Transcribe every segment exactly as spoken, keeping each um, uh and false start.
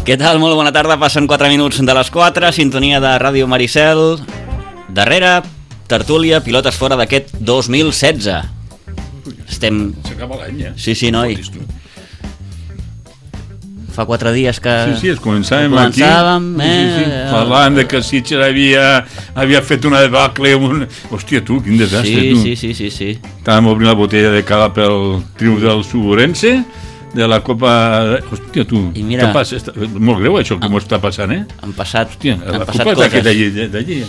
Què tal? Molt bona tarda, passen quatre minuts de les quatre, sintonia de Ràdio Maricel. Darrere, tertúlia, pilotes fora d'aquest dos mil setze. Estem... S'acaba l'any, eh? Sí, sí, noi. Fa quatre dies que... Sí, sí, es començàvem, començàvem aquí. Eh... Sí, sí. Parlant de que Sitges havia, havia fet una debacle. Un... Hòstia, tu, quin desastre, sí, tu. Sí, sí, sí, sí. Estàvem obrint la botella de cava pel triomf del Suburense, de la Copa... Hòstia, tu, mira, què passa? Està... Molt greu això que m'ho està passant, eh? Han passat, Hòstia, han la passat Copa coses. d'allí, d'allí.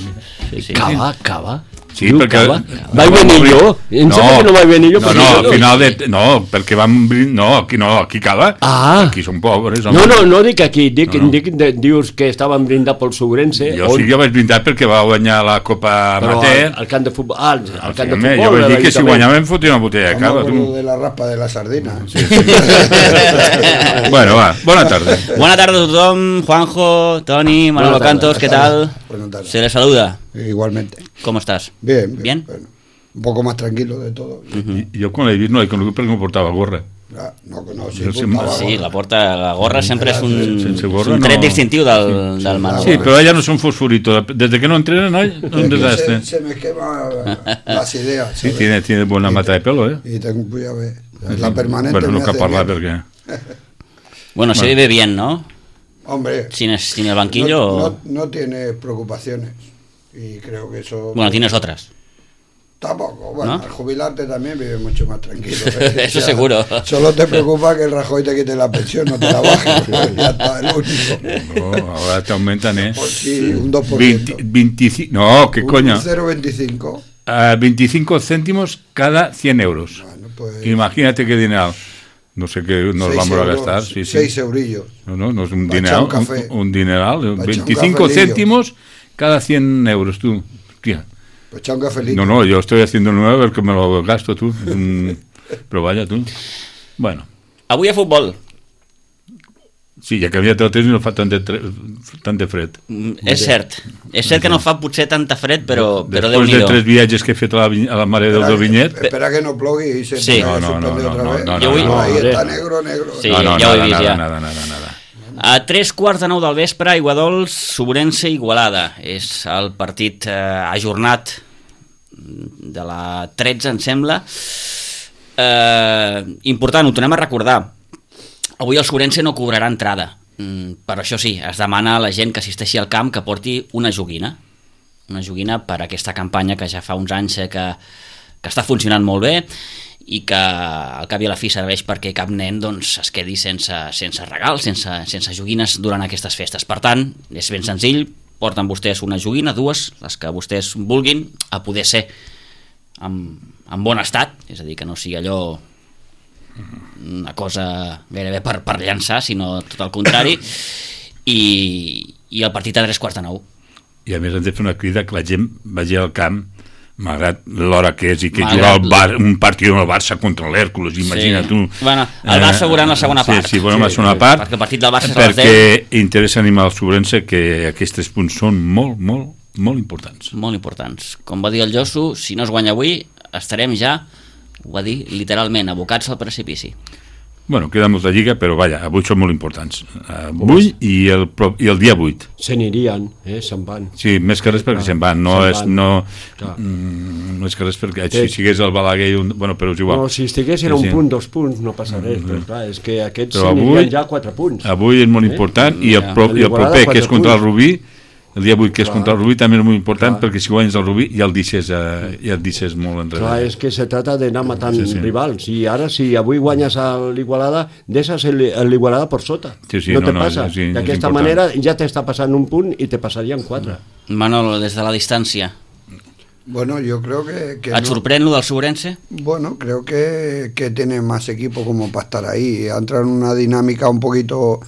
Sí, sí. Cava, cava. Sí, diu, perquè... Cava. Vaig venir jo? Em no, sembla que no vaig venir jo. No, no, al final de... No, perquè vam... No, aquí no, aquí cava. Ah. Aquí són pobres. Home. No, no, no dic aquí. Dic, no, no. dic de, dius que estaven brindant pel Suburense. Jo on... sí, jo vaig brindar perquè va guanyar la Copa Amateur. Al, al camp de futbol. Ah, al, al camp sí, de futbol. Jo vaig dir que si guanyàvem fotia una botella de cava. Com de la raspa de la sardina. Sí, sí. Bueno, va, bona tarda. Buena tarde a tothom, Juanjo, Toni, Manolo Cantos, ¿qué tal? Se les saluda. Igualmente. ¿Cómo estás? Bien, bien. ¿Bien? Bueno, un poco más tranquilo de todo. Uh-huh. Y yo con el no he conocido porque no portava gorra. Ah, no, no, sí, sí, sí, la porta, la gorra sempre és un, gorra, un tret no. distintiu del, sí, del Manolo. Sí, però allà no són fosforitos. Desde que no entrenen, no, un desastre. Se, se me quema las ideas. Sí, tiene, tiene buena mata de pelo, ¿eh? Y tengo, voy a ver, la permanente. Bueno, no cal parlar perquè... Bueno, se vive bien, ¿no? Hombre. Sin, sin el banquillo. No, o... no, no tienes preocupaciones. Y creo que eso... Bueno, tienes otras. Tampoco, bueno, ¿no? Al jubilarte también vives mucho más tranquilo. ¿eh? Eso ya, seguro. Solo te preocupa que el Rajoy te quite la pensión, no te la baje. Ya está, el único. No, ahora te aumentan, ¿eh? Pues sí, un dos por ciento. veinte, veinticinco, no, ¿qué un, coño? Un cero coma veinticinco. Uh, veinticinco céntimos cada cien euros. Bueno, pues... Imagínate qué dinero. No sé qué nos vamos euros, a gastar. Sí, sí. Seis eurillos. No, no, no es un dineral. Un, un dineral. veinticinco un céntimos cada cien euros, tú. Tía. Pues echa un cafelito. No, no, yo estoy haciendo nuevo porque me lo gasto tú. Mm, pero vaya tú. Bueno. Avui a futbol. Sí, ja que havia tot no fa tant de, tant de fred. Mm, és cert. És cert que no fa potser tanta fred, però, però Déu-n'hi-do. Déu-n'hi-do. de tres viatges que he fet a la, a la Mare del Dovinyet... Espera que no plogui i se sí. no, no, no, no, otra no, vez. no, no, no, no, ahí no, está negro, negro. Sí, no, no, ja ho he nada, vist, nada, ja. Nada, nada, nada. A tres quarts de nou del vespre, Aiguadols, Suburense, Igualada. És el partit eh, ajornat de la tretze, em sembla. Eh, important, ho tornem a recordar. Avui el Suburense no cobrarà entrada. Mm, però això sí, es demana a la gent que assisteixi al camp que porti una joguina. Una joguina per a aquesta campanya que ja fa uns anys eh, que, que està funcionant molt bé i que al cap i a la fi serveix perquè cap nen doncs, es quedi sense, sense regal, sense, sense joguines durant aquestes festes. Per tant, és ben senzill, porten vostès una joguina, dues, les que vostès vulguin, a poder ser en, en bon estat, és a dir, que no sigui allò una cosa gairebé per, per llançar, sinó tot el contrari, i, i el partit a tres quarts de nou. I a més hem de fer una crida que la gent vagi al camp malgrat l'hora que és i que malgrat... jugar al bar, un partit del Barça contra l'Hèrcules, imagina sí. tu. Bueno, el Barça veurà en la segona part. Sí, sí, veurem sí, la segona sí, part. Perquè el partit del Barça és a les deu. Perquè interessa animar el Suburense que aquests tres punts són molt, molt, molt importants. Molt importants. Com va dir el Josu, si no es guanya avui, estarem ja, ho va dir literalment, abocats al precipici. Bueno, queda molta lliga, però vaja, avui són molt importants. Avui i el, i el dia vuit. Se n'irien, eh, se'n van. Sí, més que res perquè se'n van. No és, no, mm, no és que res perquè si sigués el Balaguer... Un, bueno, però és igual. No, si estigués era sí, un punt, dos punts, no passa res, mm-hmm. però clar, és que aquests però se n'irien avui, ja quatre punts. Avui és molt important eh? i, el pro, i el proper, que és contra el Rubí, el dia vuit que és clar. Contra el Rubí també és molt important clar. Perquè si guanyes el Rubí ja el deixes, eh, ja el deixes molt enrere. Clar, és que se trata d'anar matant sí, sí. rivals i ara si avui guanyes a l'Igualada deixes l'Igualada per sota sí, sí, no, no te no, passa, sí, d'aquesta manera ja t'està passant un punt i te passarien quatre. Manolo, des de la distància bueno, yo creo que, que ¿et no. sorprèn lo del Suburense? Bueno, creo que, que tiene más equipo como para estar ahí, entra en una dinámica un poquito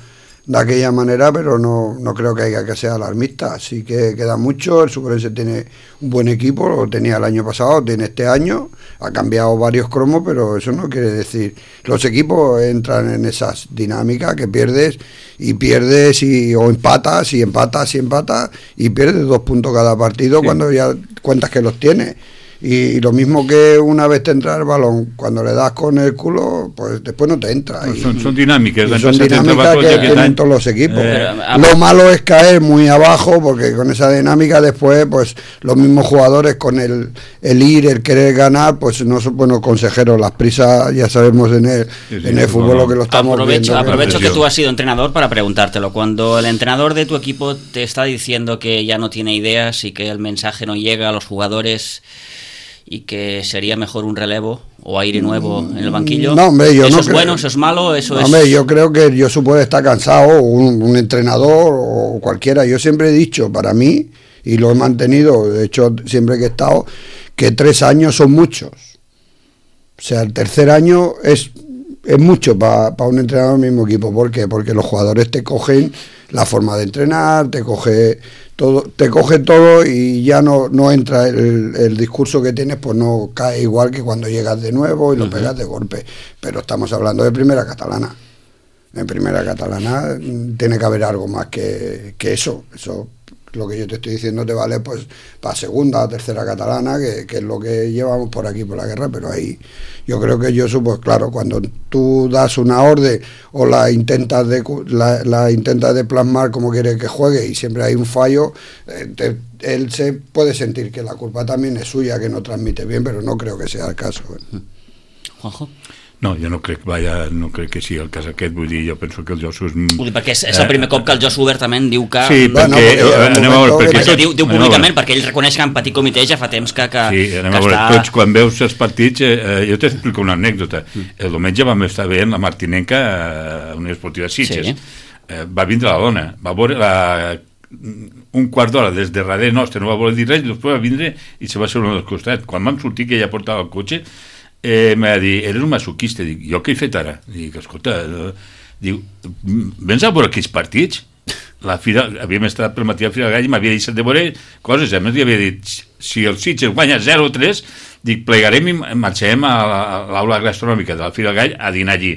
de aquella manera, pero no, no creo que haya que ser alarmista, así que queda mucho. El Suburense tiene un buen equipo, lo tenía el año pasado, tiene este año, ha cambiado varios cromos, pero eso no quiere decir, los equipos entran en esas dinámicas que pierdes y pierdes y, o empatas y empatas y empatas y pierdes dos puntos cada partido sí. Cuando ya cuentas que los tienes. Y, y lo mismo que una vez te entra el balón, cuando le das con el culo, pues después no te entra. Pues y, son, son dinámicas. Son dinámicas que, que tienen todos los equipos. Eh, lo malo es caer muy abajo, porque con esa dinámica después, pues los mismos jugadores con el, el ir, el querer ganar, pues no son buenos consejeros. Las prisas, ya sabemos en el, sí, sí, en el fútbol lo que lo estamos aprovecho, viendo. Aprovecho que tú has sido entrenador para preguntártelo. Cuando el entrenador de tu equipo te está diciendo que ya no tiene ideas y que el mensaje no llega a los jugadores y que sería mejor un relevo o aire nuevo en el banquillo, no, hombre, yo ¿eso no es creo, bueno, eso es malo? Eso no, es... Hombre, yo creo que yo supongo estar cansado, un, un entrenador o cualquiera. Yo siempre he dicho, para mí, y lo he mantenido, de hecho siempre que he estado, que tres años son muchos. O sea, el tercer año es, es mucho para pa un entrenador del mismo equipo. ¿Por qué? Porque los jugadores te cogen la forma de entrenar, te coge todo, te coge todo y ya no, no entra el, el discurso que tienes, pues no cae igual que cuando llegas de nuevo y lo uh-huh. pegas de golpe. Pero estamos hablando de primera catalana. En primera catalana tiene que haber algo más que, que eso. Eso, lo que yo te estoy diciendo, te vale pues para segunda o tercera catalana, que, que es lo que llevamos por aquí por la guerra. Pero ahí yo creo que yo, pues claro, cuando tú das una orden o la intentas de la, la intentas de plasmar como quieres que juegue y siempre hay un fallo, eh, te, él se puede sentir que la culpa también es suya, que no transmite bien, pero no creo que sea el caso. eh. Juanjo? No, jo no crec, vaja, no crec que sigui el cas aquest, vull dir, jo penso que el Josu és... Vull dir, perquè és, és el primer cop que el Josu obertament diu que... Sí, perquè... No, perquè eh, anem a veure, perquè tots, diu, diu públicament, perquè ell reconeix que en petit comitè ja fa temps que, que, sí, anem que a veure, està... tots quan veus els partits, eh, jo t'explico una anècdota. El diumenge vam estar veient la Martinenca a una esportiva Sitges. Sí. Eh, va vindre la dona, va veure la... un quart d'hora des de darrere nostre, no va voler dir res, i després va vindre i se va seure al costat. Quan vam sortir, que ella portava el cotxe, Eh, m'ha dit, eres un masoquista. Dic, jo què he fet ara? Dic, escolta, eh, diu, vens a veure aquells partits? La fira, havíem estat pel matí a Fira Gall i m'havia deixat de veure coses, a més li havia dit, si el Sitges guanya zero tres, dic, plegarem i marxarem a l'aula gastronòmica de la Fira Gall a dinar allí.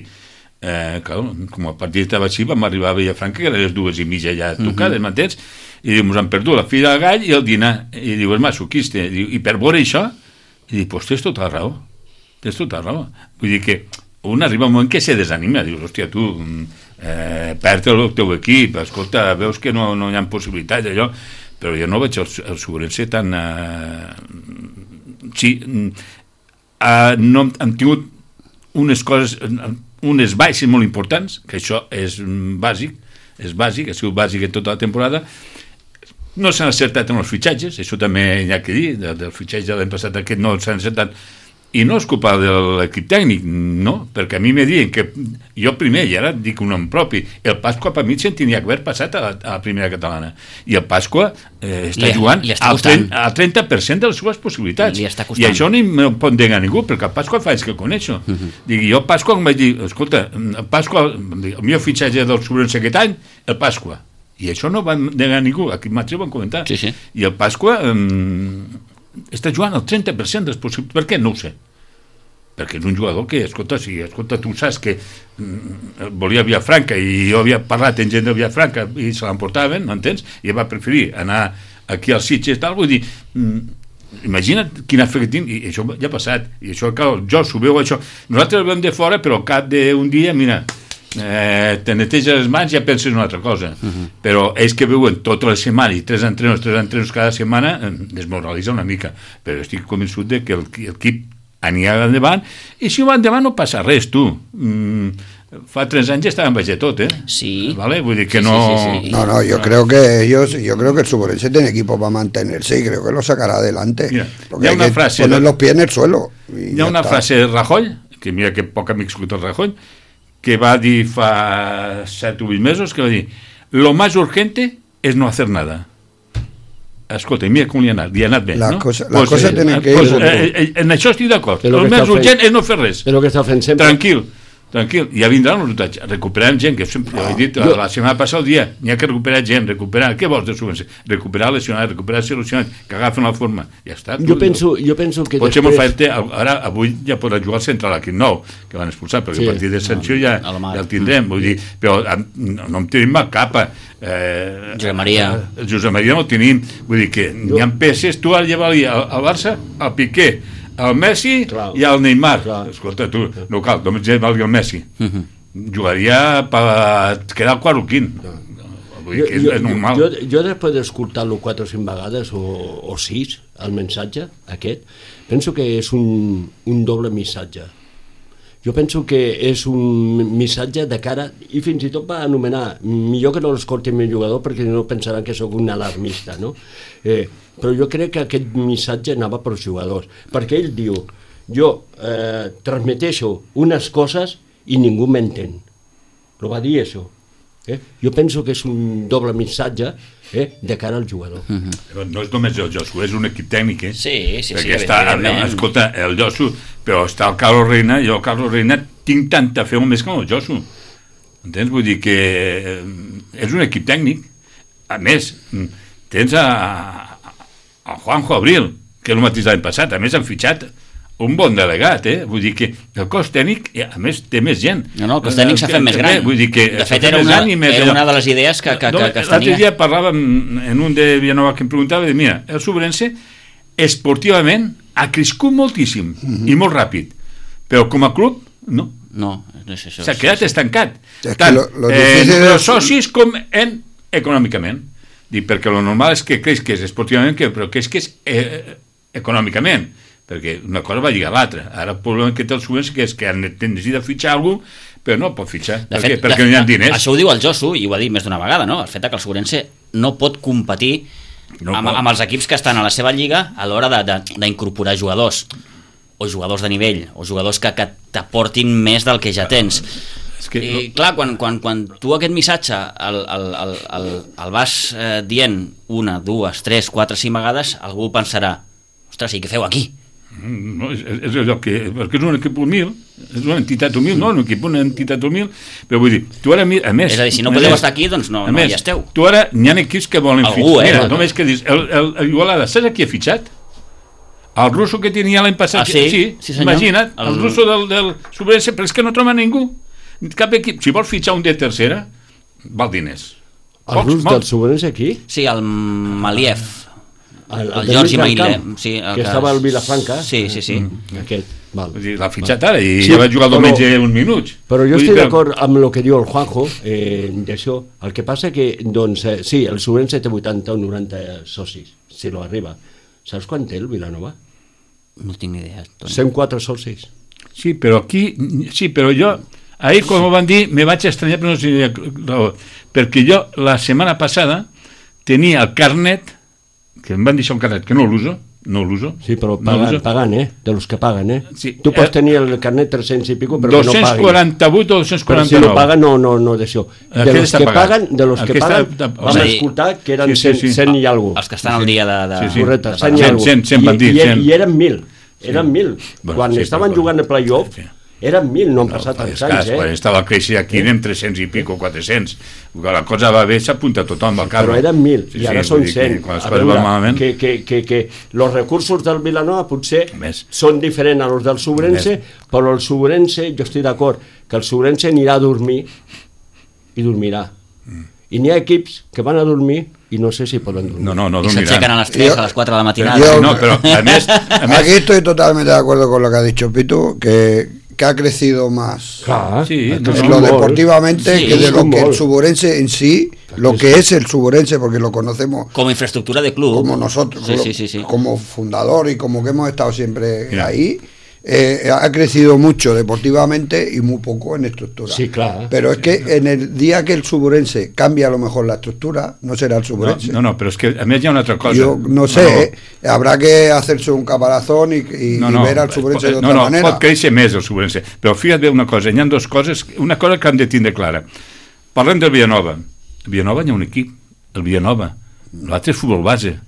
Eh, clar, com el partit estava així, vam arribar a Vilafranca, que eren les dues i mitja ja tocades, uh-huh. m'entens? I diu, ens han perdut la Fira Gall i el dinar. I diu, és masoquista. I, diu, i per veure això, i dic, pues tens tota la raó. Tens tota la raó. Vull dir que un arriba un moment que se desanima, dius, hòstia, tu, eh, perd el teu equip, escolta, veus que no, no hi ha possibilitats, allò, però jo no veig el, el Sobrense tan... Eh, sí, eh, no hem tingut unes coses, unes baixes molt importants, que això és bàsic, és bàsic, ha sigut bàsic en tota la temporada. No s'han acertat en els fitxatges, això també hi ha que dir, del, del fitxatge de l'any passat aquest no s'han acertat. I no és culpa de l'equip tècnic, no, perquè a mi me diuen que jo primer, i ara dic un nom propi, el Pasqua per mi se'n tenia que haver passat a la, a la primera catalana, i el Pasqua eh, està li, jugant li està al trenta per cent de les seves possibilitats, i això ni me pot negar ningú, perquè el Pasqua fa anys que el coneixo. Uh-huh. Dic, jo el Pasqua em vaig dir, escolta, el Pasqua, el meu fitxatge del Sobrense aquest any, el Pasqua, i això no va negar ningú, aquí mateix ho van comentar, sí, sí. I el Pasqua eh, està jugant al trenta per cent de les possibilitats. Per què? No ho sé. Perquè és un jugador que, escolta, si escolta, tu saps que mm, volia Vilafranca i jo havia parlat amb gent de Vilafranca i se l'emportaven, no entens? I va preferir anar aquí als Sitges, tal, vull dir, mm, imagina't quina fe que tinc, i això ja ha passat, i això, clar, jo s'ho veu això, nosaltres el veiem de fora, però al cap d'un dia, mira, eh, te neteges les mans i ja penses una altra cosa. Uh-huh. Però ells que veuen tota la setmana i tres entrenos, tres entrenos cada setmana, eh, desmoralitza una mica, però estic convençut de que l'equip anirà endavant, i si va endavant no passa res, tu. Mm, fa tres anys ja estaban baix de tot, eh? Sí. ¿Vale? Vull dir que sí, no... Sí, sí, sí. No, no, yo creo que ellos, yo creo que el Sobrense tiene equipo para mantenerse y creo que lo sacará adelante. Mira, porque hay hay una que frase poner de... los pies en el suelo. Hi ha una está. frase de Rajoy, que mira que poc amic escolta el Rajoy, que va dir fa set o vuit mesos, que va dir, lo más urgente es no hacer nada. Escolta, mira com li ha anat, li ha anat bé, les no? Cosa, les pues, coses tenen que pues, ir... Eh, eh, en això estic d'acord. El més urgent és no fer res. És el que està fent sempre. Tranquil. tranquil, ja vindran els resultats, recuperarem gent, que sempre, no, ja he dit, jo... la setmana passada el dia, n'hi ha que recuperar gent, recuperar, què vols de subvenció? Recuperar lesionats, recuperar solucionats, que agafen la forma, ja està. Jo penso, jo penso que pot després... ser molt ara, avui ja podrà jugar al central aquí nou, que van expulsar, perquè sí, a partir de sanció ja, ja el tindrem, vull dir, però no, no em tenim a capa. Eh, Josep Maria. El Josep Maria no el tenim, vull dir que jo... hi ha peces, tu ara llevar-li al, al Barça, al Piqué, el Messi clar, i el Neymar. Clar. Escolta, tu, no cal, només valgui el Messi. Uh-huh. Jugaria per quedar el quart o quint. No. Vull dir que és, jo, és normal. Jo, jo després d'escoltar-lo quatre o cinc vegades, o, o sis, el missatge aquest, penso que és un, un doble missatge. Jo penso que és un missatge de cara, i fins i tot va anomenar, millor que no l'escolti el meu jugador perquè no pensaran que sóc un alarmista, no? Eh, però jo crec que aquest missatge anava per als jugadors, perquè ell diu, jo eh, transmeteixo unes coses i ningú m'entén. Lo va dir això. Eh? Jo penso que és un doble missatge eh, de cara al jugador. Uh-huh. No és només el Josu, és un equip tècnic, eh? Sí, sí, perquè sí. Està, escolta, el Josu, però està el Carlos Reina, jo el Carlos Reina tinc tanta fe més que el Josu. Entens? Vull dir que és un equip tècnic. A més, tens a, a Juanjo Abril, que és el mateix l'any passat, a més han fitxat un bon delegat, eh? Vull dir que el cos tècnic, a més, té més gent. No, no, el cos tècnic s'ha fet més gran. Vull dir que de fet, era una, era una de les idees que, que, que, que es tenia. L'altre dia parlàvem en un de Vilanova que em preguntava, de, mira, el Sobrense esportivament ha crescut moltíssim mm-hmm. i molt ràpid, però com a club, no. No, no és això. S'ha quedat estancat. Es tant lo, lo eh, en els socis com en econòmicament. Dic, perquè el normal és que creix esportivament, que, però que és que és eh, econòmicament. Perquè una cosa va lligar a l'altra. Ara el problema que té el Sobrense que és que han necessitat de fitxar algú, però no pot fitxar, de perquè, fet, perquè no hi ha diners. Això ho diu el Josu, i ho ha dit més d'una vegada, no? El fet que el Sobrense no pot competir no amb, pot. amb els equips que estan a la seva lliga a l'hora d'incorporar jugadors, o jugadors de nivell, o jugadors que, que t'aportin més del que ja tens. És que, I no... clar, quan, quan, quan tu aquest missatge el, el, el, el, el vas eh, dient una, dues, tres, quatre, cinc vegades, algú pensarà, ostres, i què feu aquí? No, és, és allò que, perquè és un equip humil, és una entitat humil, no, un equip, una entitat humil, però vull dir, tu ara, a més... És a dir, si no podeu estar aquí, doncs no, no més, hi esteu. Tu ara, n'hi ha equips que volen Algú, fitxar. Eh, Mira, no, només que dius, el, el, el Igualada, saps a qui ha fitxat? El russo que tenia l'any passat. Ah, sí? Sí, sí senyor. Imagina't, el, el russo del, del Sobrense, però és que no troba ningú. Cap equip, si vols fitxar un de tercera, val diners. El rus del Sobrense aquí? Sí, el Maliev. El, el, el Jordi Mailé, sí, el que, que estava al Vilafranca. Sí, sí, sí. Mm, aquest, val. L'ha fitxat ara i sí, ja va jugar el diumenge uns minuts. Però jo estic d'acord amb el que diu el Juanjo, eh, d'això. El que passa que, doncs, eh, sí, el Sobrense té vuitanta o noranta socis, si no arriba. Saps quan té el Vilanova? No tinc ni idea. cent quatre socis. Sí, però aquí, sí, però jo, ahir quan m'ho van dir, me vaig estranyar, però no sé raó, perquè jo la setmana passada tenia el carnet, que em van deixar un carnet que no l'uso, no l'uso. Sí, però pagant, no pagant, eh? De los que paguen, eh? Sí. Tu pots tenir el carnet tres-cents i pico, però que no paguin. dos-cents quaranta-vuit o dos-cents quaranta-nou. Però si no paguen, no, no, no d'això. De los que paguen, de los que paguen, vam escoltar que eren cent i alguna cosa. Els que estan al dia de... Sí, sí. Correcte, cent i alguna cosa. I eren mil, eren mil. Quan estaven jugant el play-off, eren mil, no han passat tants anys, eh? Quan estava creixent aquí anem tres-cents i pico, quatre-cents. La cosa va bé, s'apunta tothom al carro. Però eren mil, i ara són cent. Quan les coses van malament... Que, que, que, que els recursos del Vilanova potser són diferents a els del Sobrense, però el Sobrense, jo estic d'acord, que el Sobrense anirà a dormir i dormirà. I n'hi ha equips que van a dormir i no sé si poden dormir. No, no, no I dormiran. s'aixequen a las tres, a las cuatro de la matinada. Yo, no, pero a mes, a mes... Aquí estoy totalmente de acuerdo con lo que ha dicho Pitu, que, que ha crecido más Clar, sí, no, lo molt. deportivamente Sí, que de lo molt. que el Suburense en sí, lo que es el Suburense, porque lo conocemos Como infraestructura de club. como nosotros, Sí, sí, sí, sí. como fundador y como que hemos estado siempre Mira. ahí. Eh, ha crecido mucho deportivamente y muy poco en estructura. Sí, claro. Pero es que en el día que el Suburense cambia a lo mejor la estructura, no será el Suburense. No, no, però és que a més hi ha una altra cosa. Yo no sé, no, no. Eh, habrá que hacerse un caparazón y, y, no, no, y ver al Suburense de otra no, no, manera. pot créixer més el Suburense, però fíjate una cosa, hi ha dues coses, una cosa que hem de tindre clara. Parlem del Villanova. El Villanova hi ha un equip, el Villanova. L'altre és futbol base.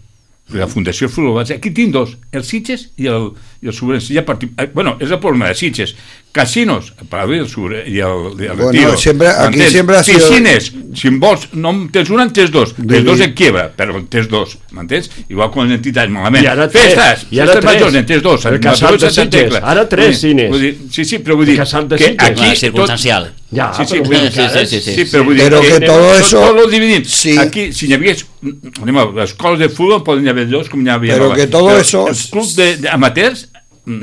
La Fundació Futbol Base. Aquí tinc dos, el Sitges i el, i el Suburense. Ja partim, eh, bueno, és el problema de Sitges, casinos, para ver el sur y el, el bueno, retiro. Siempre, aquí siempre ha sido... Piscines, si vols, no tens un, en tens dos. Els dos en quiebra, però en tens dos, m'entens? Igual com les entitats, malament. Festes, festes majors, en tens dos. El casal de Sitges, ara tres cines. Sí, sí, però vull dir que aquí... circunstancial. Ja, sí, sí, però, sí, sí, sí, sí. sí, però vull dir però que, que todo eso... Tot lo dividim. Sí. Aquí, si n'hi hagués... Anem a les escoles de futbol poden haver dos, com n'hi havia... Pero que todo eso... Els clubs d'amateurs...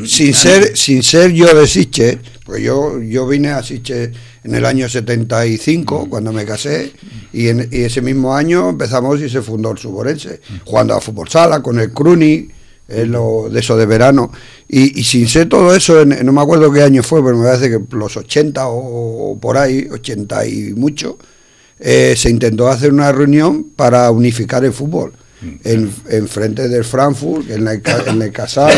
Sin ser, sin ser yo de Sitges, pues yo, yo vine a Sitges en el año setenta y cinco, mm. cuando me casé, y, en, y ese mismo año empezamos y se fundó el Suborense, mm. jugando a fútbol sala con el Cruni, eh, lo, de eso de verano, y, y sin ser todo eso, en, no me acuerdo qué año fue, pero me parece que los ochenta o, o por ahí, ochenta y mucho, eh, se intentó hacer una reunión para unificar el fútbol. En, en frente del Frankfurt, en, la, en el Casal,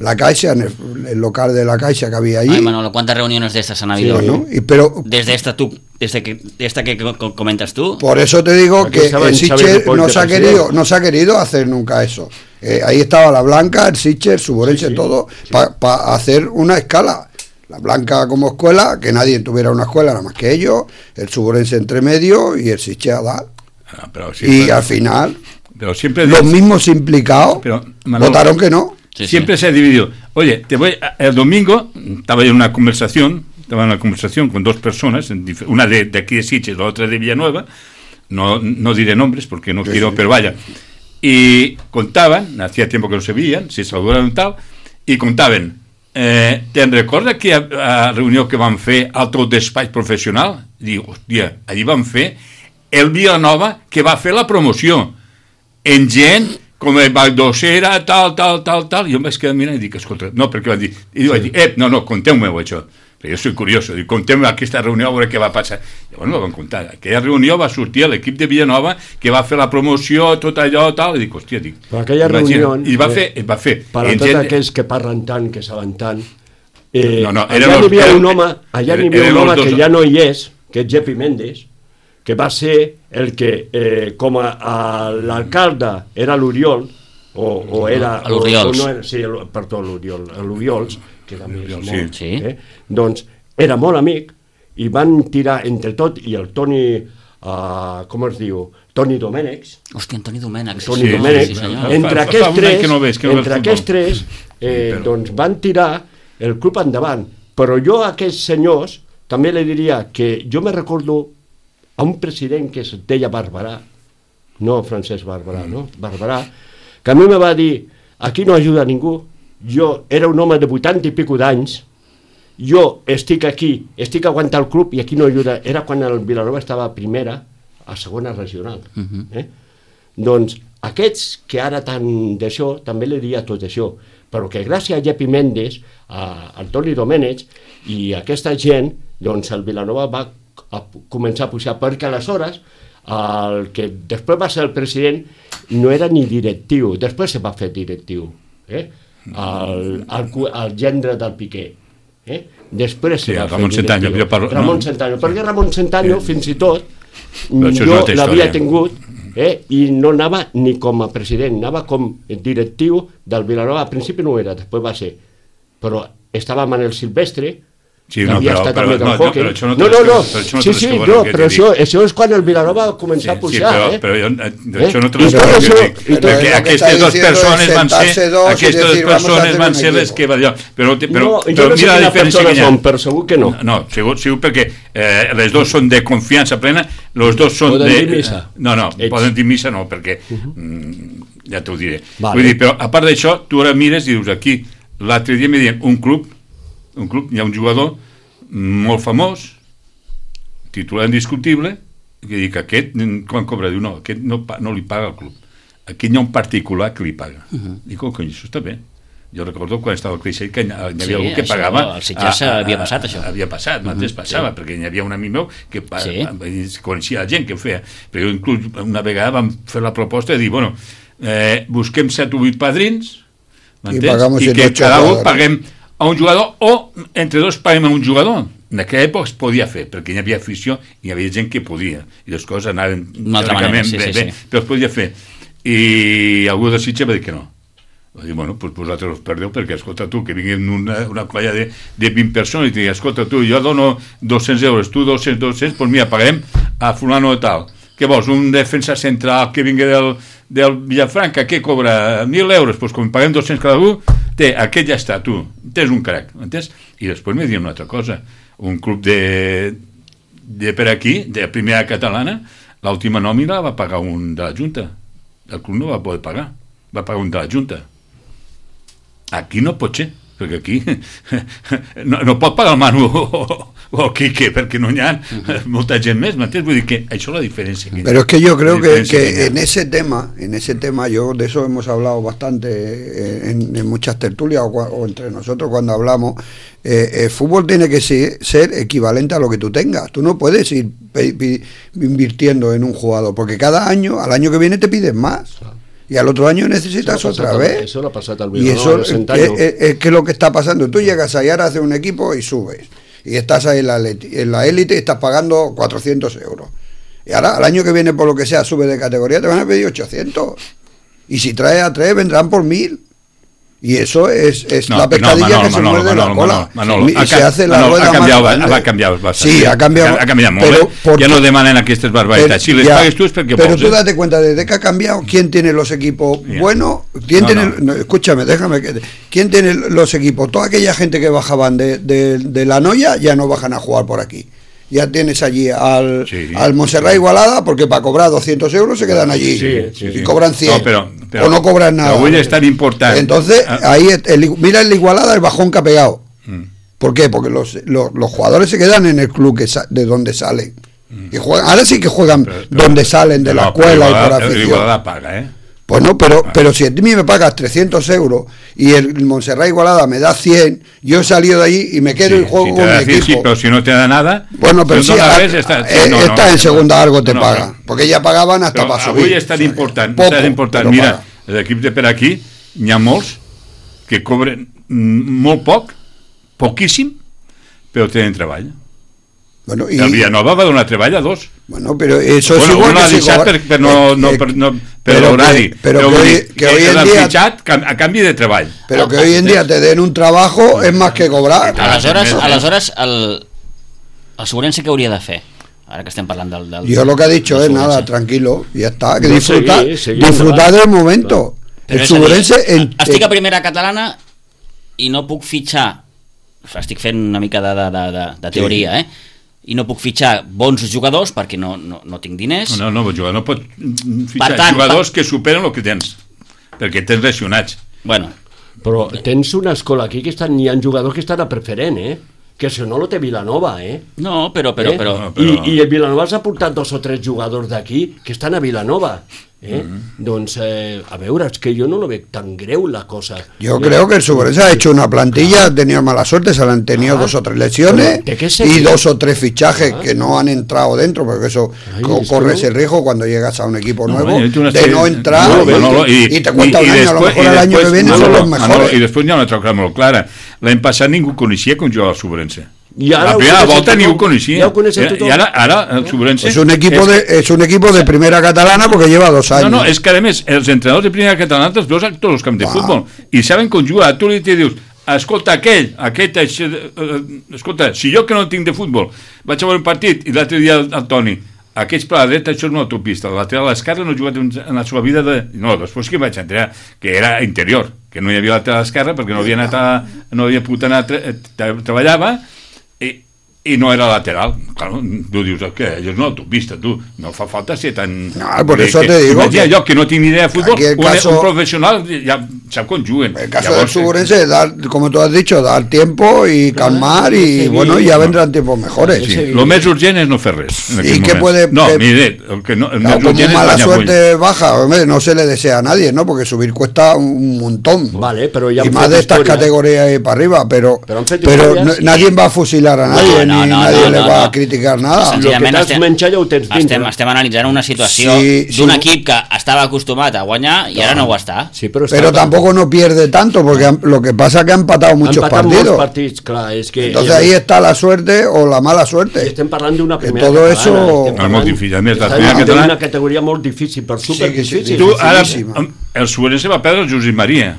la Caixa, en el, el local de la Caixa que había allí. Ay, Manolo, ¿cuántas reuniones de estas han habido? Sí, ¿no? Y, pero, desde esta tú, desde que, esta que comentas tú. Por eso te digo Aquí que en Sitges no se ha querido, no se ha querido hacer nunca eso. Eh, ahí estaba la Blanca, el Sitges, el Suborense, sí, sí. todo, para pa hacer una escala. La Blanca como escuela, que nadie tuviera una escuela nada más que ellos, el Suborense entre medio y el Sitges a dar. Ah, pero y pero... al final... Pero siempre los mismos implicados pero, Manolo, votaron que no. Sí, siempre sí. se ha dividido. Oye, te voy a, el domingo estaba en una conversación, estaba en una conversación con dos personas, una de, de aquí de Sitges, la otra de Villanueva, no, no diré nombres porque no sí, quiero, sí. pero vaya. Y contaban, hacía tiempo que no se veían, se saludaron tal, y contaven, eh, te'n recorda que a, a reunió que van fer al teu despatx professional? Diu, hòstia, allí van fer el Vilanova que va fer la promoció. En gent com el Valdocera, tal, tal, tal, tal, i jo em vaig quedar mirant i dic, escolta, no, perquè van dir, i jo vaig dir, eh, no, no, conteu-me-ho això, perquè jo soy curioso, dic, conteu-me aquesta reunió a veure què va passar. Llavors me van contar, aquella reunió va sortir a l'equip de Villanova que va fer la promoció, tot allò, tal, i dic, hòstia, dic... Però aquella reunió... I va fer, va fer... Per a tots gent... aquells que parlen tant, que saben tant, eh, no, no, allà n'hi havia un home, allà n'hi havia un home que ja no hi és, que és Jepi Mendes, que va ser el que, eh, com a, a l'alcalde era l'Oriol, o, o era... L'Oriols. No era, sí, el, perdó, l'Oriol, l'Oriols, que era més molt, sí. eh? Doncs era molt amic, i van tirar entre tot, i el Toni, uh, com es diu, Toni Domènex... Hòstia, Toni Domènex. Toni sí, Domènex, sí, entre aquests tres, no ves, no entre aquests tres eh, doncs van tirar el club endavant. Però jo a aquests senyors també li diria que jo me recordo a un president que es deia Barberà, no Francesc Barberà, no? Barberà, que a mi me va dir, aquí no ajuda ningú, jo era un home de vuitanta i pico d'anys, jo estic aquí, estic aguantant el club i aquí no ajuda, era quan el Vilanova estava a primera, a segona regional. Uh-huh. eh? Doncs aquests que ara tant d'això, també li diria tot això, però que gràcies a Jepi Mendes, a Antoni Domènech i a aquesta gent, doncs el Vilanova va a començar a pujar, perquè aleshores el que després va ser el president no era ni directiu, després se va fer directiu, eh? el, el, el gendre del Piqué, eh? després se sí, va Ramon fer Centanyo, directiu. parlo, Ramon no? Centanyo, perquè Ramon Centanyo sí. fins i tot però jo l'havia tingut eh? i no anava ni com a president, anava com directiu del Vilanova, al principi no era, després va ser, però estava Manel Silvestre, sí, no, però, però, però, no, no, però això no, no, no, no. Però això no sí, sí, no, però això, això és quan el Vilanova va començar sí, a pujar, sí, però, eh? però jo, eh? això no te l'explico, perquè aquestes dues persones van ser, aquestes dues persones van ser les que va dir, però, però, no, però no mira la diferència que hi ha. Són, però segur que no. No, segur, segur perquè eh, les dos són de confiança plena, els dos són poden de... dir missa. No, no, Ells. poden dir missa no, perquè uh-huh. mm, ja t'ho diré. Vale. Vull dir, però a part d'això, tu ara mires i dius aquí, l'altre dia me diuen un club, un club, hi ha un jugador molt famós, titular indiscutible, que dic, aquest, quan cobra? Diu, no, aquest no, no li paga al club. Aquí hi ha un particular que li paga. Uh-huh. Dic, oh, cony, això està bé. Jo recordo quan estava al Creixell que hi havia sí, algú que això, pagava... Al Sitges havia passat, això. Havia passat, uh-huh. mateix passava, sí. perquè hi havia un amic meu que sí. coneixia la gent que ho feia. Però jo inclús una vegada vam fer la proposta de dir, bueno, eh, busquem set o vuit padrins, i, I que cada un paguem a un jugador o entre dos paguem a un jugador. En aquella època es podia fer, perquè hi havia afició i hi havia gent que podia, i les coses anaven manera, sí, bé, sí, bé, sí. però es podia fer. I algú de Sitges va dir que no. I bueno, doncs vosaltres us perdeu perquè, escolta tu, que vinguin una, una colla de, de vint persones i te digui, escolta tu, jo dono dos-cents euros, tu dos-cents, dos-cents, doncs mira, paguem a fulano de tal. Què vols, un defensa central que vingui del, del Villafranca, què cobra? mil euros, doncs com paguem dos-cents cada un, té, aquest ja està, tu, tens un crac, entens? I després m'he dit una altra cosa, un club de, de per aquí, de primera catalana, l'última nòmina va pagar un de la Junta, el club no va poder pagar, va pagar un de la Junta. Aquí no pot ser, perquè aquí no, no pot pagar el Manu o, o el Quique, perquè no hi ha molta gent més, m'entens? Vull dir que això és la diferència. Que Pero es que yo creo que, que en ese tema, en ese tema, yo de eso hemos hablado bastante en, en muchas tertulias o, o entre nosotros cuando hablamos, eh, el fútbol tiene que ser, ser equivalente a lo que tú tengas. Tú no puedes ir pe, pe, invirtiendo en un jugador, porque cada año, al año que viene te piden más. Y al otro año necesitas otra al, vez. Eso lo ha pasado al y eso es, es, es que lo que está pasando. Tú llegas ahí, ahora haces un equipo y subes. Y estás ahí en la, en la élite y estás pagando cuatrocientos euros. Y ahora, al año que viene, por lo que sea, sube de categoría, te van a pedir ochocientos. Y si traes a tres, vendrán por mil. Y eso es, es no, la pescadilla no, Manolo, que se Manolo, muerde Manolo, la cola. Manolo, Manolo, y se hace la Manolo, rueda ha canviat, más grande. ha canviat bastant. Sí, ha cambiado. Ha, ha canviat molt. Pero, eh? por, ja no demanen aquestes barbaritats. Si les ya, pagues tu és perquè Pero vols. tú Eh? date cuenta, desde que ha cambiado, ¿quién tiene los equipos Yeah. buenos? ¿Quién No, tiene, no. no, escúchame, déjame que... ¿Quién tiene los equipos? Toda aquella gente que bajaban de, de, de la Noya ya no bajan a jugar por aquí. Ya tienes allí al, sí, al Montserrat Igualada, porque para cobrar doscientos euros se quedan allí. Sí, sí, y sí. cobran cien. No, pero, pero, o no cobran nada. Però avui és tan important. Entonces, ah. ahí, el, mira el Igualada, el bajón que ha pegado. Mm. ¿Por qué? Porque los, los, los jugadores se quedan en el club que sa de donde salen. Mm. Y juegan, ahora sí que juegan pero, pero, donde salen, de no, la escuela y por afición. El Igualada paga, ¿eh? Pues no, pero, ah. pero si a mí me pagas trescientos euros y el Montserrat Igualada me da cien, yo he salido de allí y me quedo sí, y juego si con mi equipo. Sí, pero si no te da nada... Bueno, pero si, si a, ves, está, eh, no, está no, en segunda no, algo te no, paga, no. porque ya pagaban hasta però para subir. Avui és tan important, poco, tan important. Mira, paga. l'equip de per aquí, n'hi ha molts que cobren molt poc, poquíssim, però tenen treball. Bueno, y, el Villanova va donar treball a dos. Bueno, pero eso bueno, es igual uno que ha deixat per, per, no, no, per, no, per l'horari, pero, pero, però que, dir, que, que hoy en l'han día fitxat a canvi de treball. Pero que hoy en día te den un trabajo es más que cobrar. Aleshores, aleshores el, el Segurense què hauria de fer? Ara que estem parlant del... del Yo lo que he dicho es nada, tranquilo, ya está, que no, disfrutar, seguir, seguir, disfrutar del momento. Però el Segurense... En, estic a primera catalana i no puc fitxar, estic fent una mica de, de, de, de teoria, sí. eh? I no puc fitxar bons jugadors perquè no, no, no tinc diners. No, no, jugar, no pot fitxar tant, jugadors pa... que superen el que tens, perquè tens lesionats. Bueno. Però tens una escola aquí que estan, hi ha jugadors que estan a preferent, eh? Que això no lo té Vilanova, eh? No, però... però, eh? però... No, però... I, I el Vilanova els ha portat dos o tres jugadors d'aquí que estan a Vilanova. ¿Eh? Mm-hmm. Doncs, eh, a veure, es que yo no lo veo tan greu la cosa. Yo creo que el Segurense ha hecho una plantilla, ha tenido mala suerte, se le han tenido ah, dos o tres lesiones y dos o tres fichajes ah. que no han entrado dentro, porque eso Ay, co corres el riesgo cuando llegas a un equipo no, nuevo bueno, de no entrar no, no, no, y, y te cuenta y, un año, después, a lo mejor el año que viene no, son los mejores. No, I després hi ha una altra cosa molt clara. L'any passat ningú coneixia com jugava el Segurense. Y ahora la primera volta ni ho coneixia. I ara, ara el Segurense... Es un equipo, de, es un equipo de primera catalana porque lleva dos años. No, no, és que a més, els entrenadors de primera catalana els veus a tots els camps de futbol i saben com jugar. Tu li dius, escolta, aquell, aquell, uh, escolta, si jo que no tinc de futbol vaig a veure un partit i l'altre dia el, el Toni, aquells per la dreta, això és una autopista, la lateral a l'esquerra no he jugat en la seva vida de... No, després que vaig entrar, que era interior, que no hi havia lateral a l'esquerra perquè no havia anat a... no havia pogut anar a... treballava i, i no era lateral. Claro, tu dius, què? És una autopista, tu. No fa falta ser tan... No, por eso te digo... Imagina que, jo, que no tinc ni idea de futbol, un, caso, un professional ja sap com juguen. El caso Llavors, del Segurense es dar, como tú has dicho, dar tiempo y calmar y, sí, bueno, ya vendrán tiempos mejores. Sí, sí. Lo més urgent és no fer res. ¿Y qué puede...? No, que, mire, el que no, el claro, como urgent mala és suerte baja, hombre, no se le desea a nadie, ¿no? Porque subir cuesta un montón. Vale, pero ya y más de estas historias. Categorías ahí para arriba, pero, pero, pero no, nadie va a fusilar a nadie, no, no, no, ni no, nadie no, le no, va no. a criticar nada. Lo que t'has menjat ja ho tens dintre. Estem, estem analitzant una situació sí, d'un sí. equip que estava acostumat a guanyar i ara no ho està. Sí, pero, pero tampoco no pierde tanto, porque han, lo que pasa es que han empatado muchos han empatado partidos. Partits, clar, és que Entonces ahí está la suerte o la mala suerte. Estem parlant d'una primera todo catalana. Eso... És molt difícil. A més, la primera catalana... una categoria molt difícil, però super sí, difícil. Sí, tu, ara, el Segurense va perdre el Josep Maria.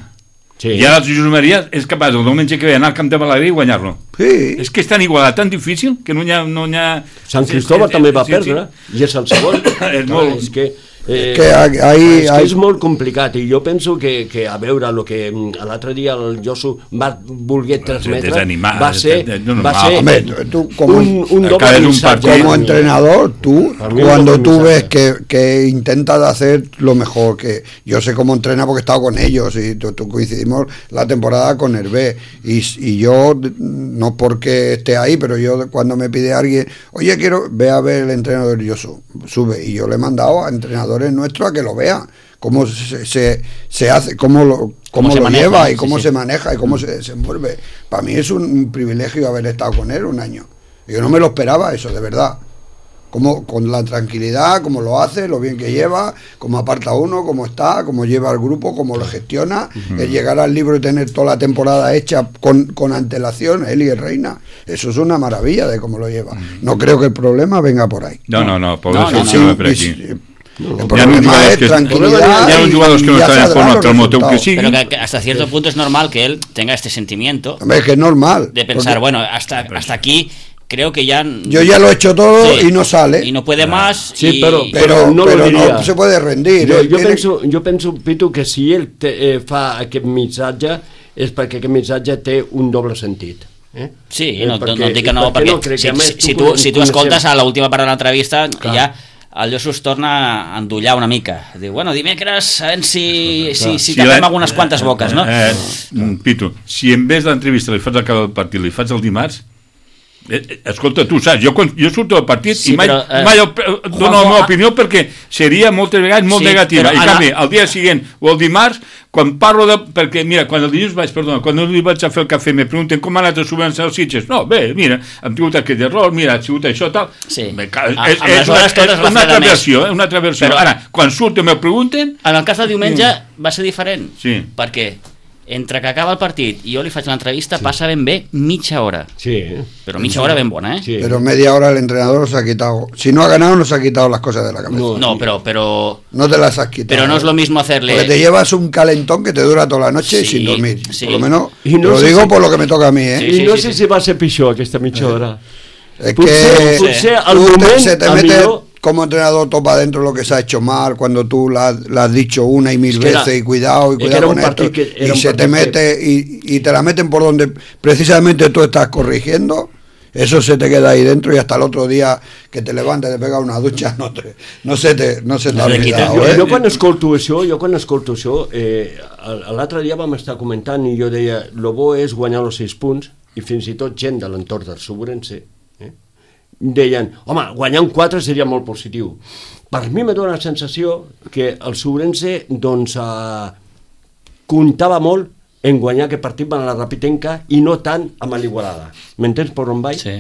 Sí. I ara el Josep Maria és capaç el diumenge que ve anar al Camp de Balaguer i guanyar-lo. Sí. És que és tan igualat, tan difícil, que no hi ha... No hi ha... Sant Cristóbal sí, també va sí, perdre, sí. I és el segon. és molt... És que, eh, que ahí, és, que ahí... és molt complicat, i jo penso que, que a veure, el que l'altre dia el Josu va voler transmetre va ser, va ser Hombre, tú, como, un, un doble missatge. Como entrenador, tú, cuando tú ves que, que intentas hacer lo mejor, que yo sé cómo entrena porque he estado con ellos y tú, tú coincidimos la temporada con Hervé y, y yo, no porque esté ahí, pero yo cuando me pide alguien, oye, quiero, ve a ver el entrenador, yo sube, y yo le he mandado a entrenadores nuestros a que lo vean, cómo se, se, se hace, cómo lo, cómo cómo lo maneja, lleva y cómo sí, se sí. maneja y cómo se desenvuelve. Para mí es un privilegio haber estado con él un año. Yo no me lo esperaba eso, de verdad. Como, con la tranquilidad, cómo lo hace, lo bien que lleva, cómo aparta uno, cómo está, cómo lleva al grupo, cómo lo gestiona, uh-huh. el llegar al libro y tener toda la temporada hecha con, con antelación, él y el Reina, eso es una maravilla de cómo lo lleva. Uh-huh. No creo que el problema venga por ahí. No, no, no, por no, eso no, sí, no, no, per aquí. No, el problema es que, tranquilidad. Hi ha uns jugadors que no estan en forma, pel motiu que sigui. Pero que, que hasta cierto punto es normal que él tenga este sentimiento. Hombre, es que es normal. De pensar, porque... bueno, hasta, hasta aquí... Creo que ya... Yo ya lo he hecho todo sí, y no sale. Y no puede más. Sí, y... pero, pero, pero, no, pero lo no se puede rendir. Jo, jo, tiene... penso, jo penso, Pitu, que si ell te, eh, fa aquest missatge és perquè aquest missatge té un doble sentit. Eh? Sí, eh, no, perquè, no et dic que no, perquè no crec, si, més, si, tu, si tu escoltes a l'última part de l'entrevista, ja el Josu es torna a endollar una mica. Diu, bueno, dimecres, a veure si, si, si, si tapem algunes quantes boques, no? Eh, eh, Pitu, si en vez d'entrevista li fas al cap del partit, li fas el dimarts, Eh, escolta, tu saps, jo, jo surto del partit sí, i mai, però, eh, mai dono la meva opinió perquè seria moltes vegades molt sí, negativa, i en canvi, el dia següent o el dimarts, quan parlo de... perquè, mira, quan el dilluns vaig, perdona, quan li vaig a fer el cafè me pregunten com ha anat a subvencer els Sitges, no, bé, mira, hem tingut aquest error, mira, ha sigut això, tal... Sí. Bé, és, és, és, una, és una altra versió, eh, una altra versió. Però, ara, quan surto me pregunten... En el cas del diumenge mm. va ser diferent, sí. perquè entre que acaba el partit i jo li faig l'entrevista sí. passa ben bé mitja hora. Sí. Pero mitja hora ben bona, ¿eh? Sí. Pero media hora el entrenador se ha quitado. Si no ha ganado, no se ha quitado las cosas de la cabeza. No, no pero, pero... No te las has quitado. Pero no es lo mismo hacerle... Porque te llevas un calentón que te dura toda la noche sí, sin dormir. Sí. Por lo menos, I no lo sé digo si... por lo que me toca a mí, ¿eh? Sí, sí, I no sí, sé sí. si va ser pitjor aquesta mitja hora. Es potser, que... Potser al moment... Te, se te mete... Millor... Como entrenador topa dentro lo que se ha hecho mal cuando tú la, la has dicho una y mil es veces era, y cuidado y cuidado con esto y se te mete que... y, y te la meten por donde precisamente tú estás corrigiendo, eso se te queda ahí dentro y hasta el otro día que te levantes, te pegas una ducha, no, te, no se te no se te ha olvidado, jo, eh? jo quan escolto això, jo quan escolto això eh, l'altre dia vam estar comentant i jo deia, lo bo és guanyar els sis punts i fins i tot gent de l'entorn del Subrense deien, home, guanyar un quatre seria molt positiu. Per mi me dóna la sensació que el Subrense doncs eh, comptava molt en guanyar aquest partit amb la Rapitenca i no tant amb l'Igualada. M'entens per on vaig? Sí.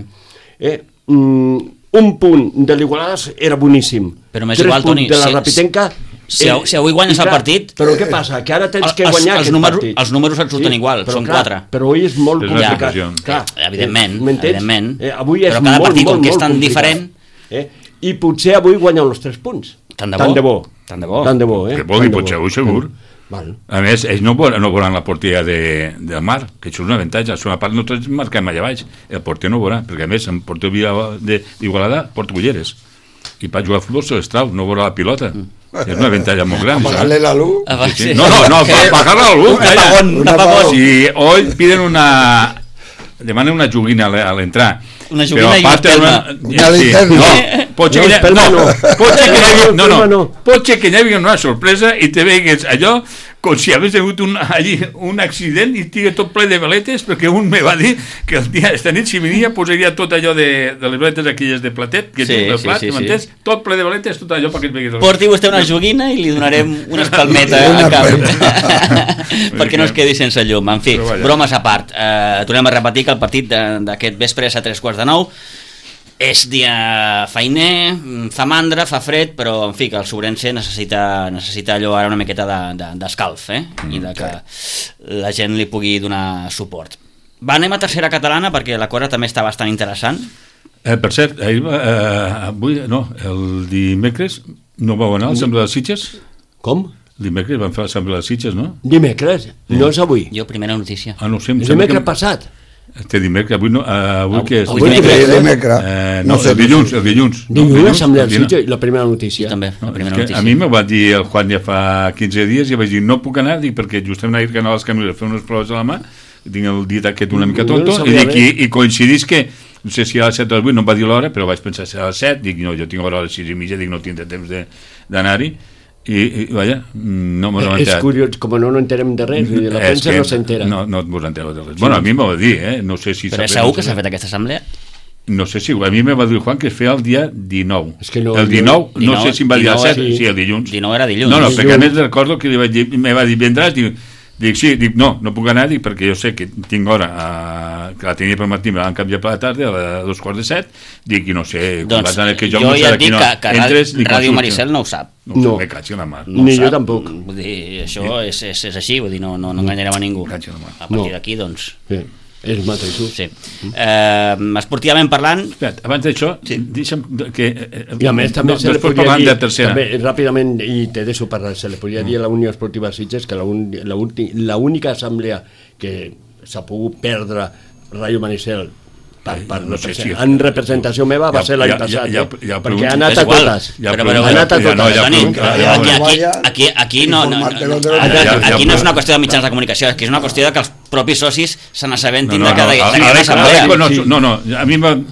Eh, mm, un punt de l'Igualada era boníssim. Però més igual, Toni, de la Rapitenca... Si, eh, si avui guanyes clar, el partit... Però què passa? Que ara tens que els, guanyar els aquest números, partit. Els números et surten sí, igual, són clar, quatre. Però avui és molt és complicat. Clar, evidentment, evidentment. Eh, avui és però cada molt, partit, molt, com que és molt tan complicat. diferent... Eh? I potser avui guanyen els tres punts. Tant de bo. Tant de bo. Tant de bo. Tant de bo, eh? Que vol dir, potser avui segur. Val. A més, ells no veuran, no veuran la porteria de, del Mar, que això és un avantatge. A una part nosaltres marquem allà baix. El porter no veurà, perquè a més, en porter d'Igualada porta ulleres. I per jugar a futbol se l'estrau, no veurà la pilota. Mm. És una avantatge molt gran. Apagarle la luz. Ah, sí, sí. No, no, no, apagar la luz. Un apagón, un apagón. Si hoy piden una... demanen una joguina a l'entrar. Una joguina i una espelma. Una linterna. No, pot ser que pot ser que hi hagi una sorpresa i te vegues allò com si hagués hagut un, allí un accident i estigui tot ple de veletes, perquè un me va dir que el dia, esta nit si venia posaria tot allò de, de les veletes aquelles de platet, que sí, és el plat, sí, sí, m'entens? sí. Tot ple de veletes, tot allò perquè et veguis... Porti vostè una joguina i li donarem una espalmeta a cap perquè no es quedi sense llum. En fi, bromes a part, eh, tornem a repetir que el partit d'aquest vespre és a tres quarts de nou. És dia feiner, fa mandra, fa fred, però en fi, que el Subrense necessita, necessita allò ara una miqueta d'escalf, de, de, eh? Mm, I de que okay. la gent li pugui donar suport. Va, anem a tercera catalana perquè la cosa també està bastant interessant. Eh, per cert, ahir, eh, avui, no, el dimecres no vau anar al Sembre dels Sitges? Com? Dimecres van fer l'assemblea de Sitges, no? Dimecres, no és avui. Jo, primera notícia. Ah, no ho sé, em És sembla dimecres que... passat. Este dimecres, avui no... Uh, avui què és? Avui Sí, dimecres. dimecres. Eh, No no, sé, el dilluns, el dilluns. No, Dilluns, el l'assemblea el de dilluns. Sitges, la primera Jo notícia. també, la No, primera és que notícia. a mi me va dir el Juan ja fa quinze dies i vaig dir no puc anar, dic, perquè justament ahir que anava als Camins a fer unes proves a la mà, tinc el dit aquest una mica No, no tonto, i, sabia dic, i, i coincidís que no sé si a les set o a les vuit, no em va dir l'hora, però vaig pensar ser a les set, dic, no, jo tinc hora a les sis i mitja, dic, no tindré temps de- d'anar-hi, i, i vaja, no m'ho he És enterat. curiós, com no no enterem de res, vull dir, la És premsa que no s'entera. No, no vos entereu de res. Bueno, a mi m'ho va dir, eh? No sé si... Però és sabré, segur no que sé. s'ha fet aquesta assemblea? No sé si... A mi me va dir el Juan que es feia el dia dinou. És que no- el dinou, no dinou sé si em va dir a dinou les set, sí. sí, el dilluns. dinou era dilluns. No, no, Dilluns. perquè a més recordo que li vaig dir, me va dir, vendràs? Dic, dic, sí, dic, no, no puc anar, dic, perquè jo sé que tinc hora, a, que la tenia per matí, me l'han canviat per la tarda, a dos quarts de set, dic, i no sé, quan Doncs vas anar, que jo, jo no sé ja de et dic quina que, que entres, ni Ràdio consulta. Maricel no ho sap. No, No. no. Me caig en la mà. No Ni ho jo sap. tampoc. Vull dir, això és, és, és així, vull dir, no, no, no enganyarem a ningú. Caig en la mà. A partir No. d'aquí, doncs, Sí, és mateixos. sí. Eh, esportivament parlant, Espera't, abans d'això, sí. deixa'm que... eh, I a més també no, se li després podria parlant dir, de tercera. també, ràpidament, i te deixo parlar, se li podria dir a la Unió Esportiva Sitges que la, un, la, ulti, la única assemblea que s'ha pogut perdre Ràdio Maricel per, per no sé si- en representació meva va Ja- ser l'any ja- passat, ja- eh? ja perquè pregunto. ha anat és a igual. totes. Ja però, pregunto, però, ha anat a ja no, totes. ja Toni, pregunto, aquí, ja- aquí, Vaya, aquí, aquí no, no, no, informarte-los de aquí, los Ja- ja- aquí ja- no és una qüestió de mitjans de comunicació, és que és una qüestió de que els propis socis se n'assabentin No, de no, que no, hi a- ha a una l'Eco- assemblea. a l'Eco no, Sí. no, no, a mi me,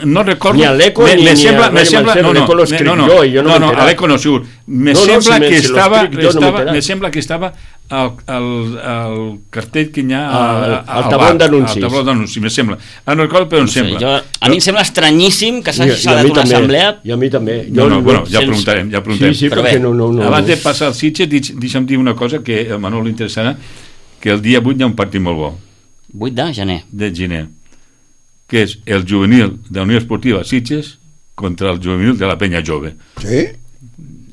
no recordo... Ni a l'Eco me- ni- me ni sembla, a me Ràdio sembla, Maricel, no, no, l'Eco lo me- escric no, no, jo i jo no no, m'he no, enterat. a l'Eco no segur. Me No, no, sembla si me- que si lo estava, escric jo no m'he estava enterat. me sembla que estava el, el, el cartell que hi ha Al- a- al al tabló bar, d'anuncis. al tabló d'anuncis, me sembla. Ah, no recordo, però em No sé, sembla. jo, a mi em sembla estranyíssim que I- s'hagi i a celebrat mi una també, assemblea. I a mi també. No, no, bueno, ja sense- preguntarem, ja Sí, preguntarem. sí, Però perquè bé, no, no, no. Abans de passar al Sitges, deix- deixa'm dir una cosa que a Manol li interessarà, que el dia vuit hi ha un partit molt bo, vuit de gener. de gener, que és el juvenil de la Unió Esportiva Sitges contra el juvenil de la Peña Jove. ¿Sí?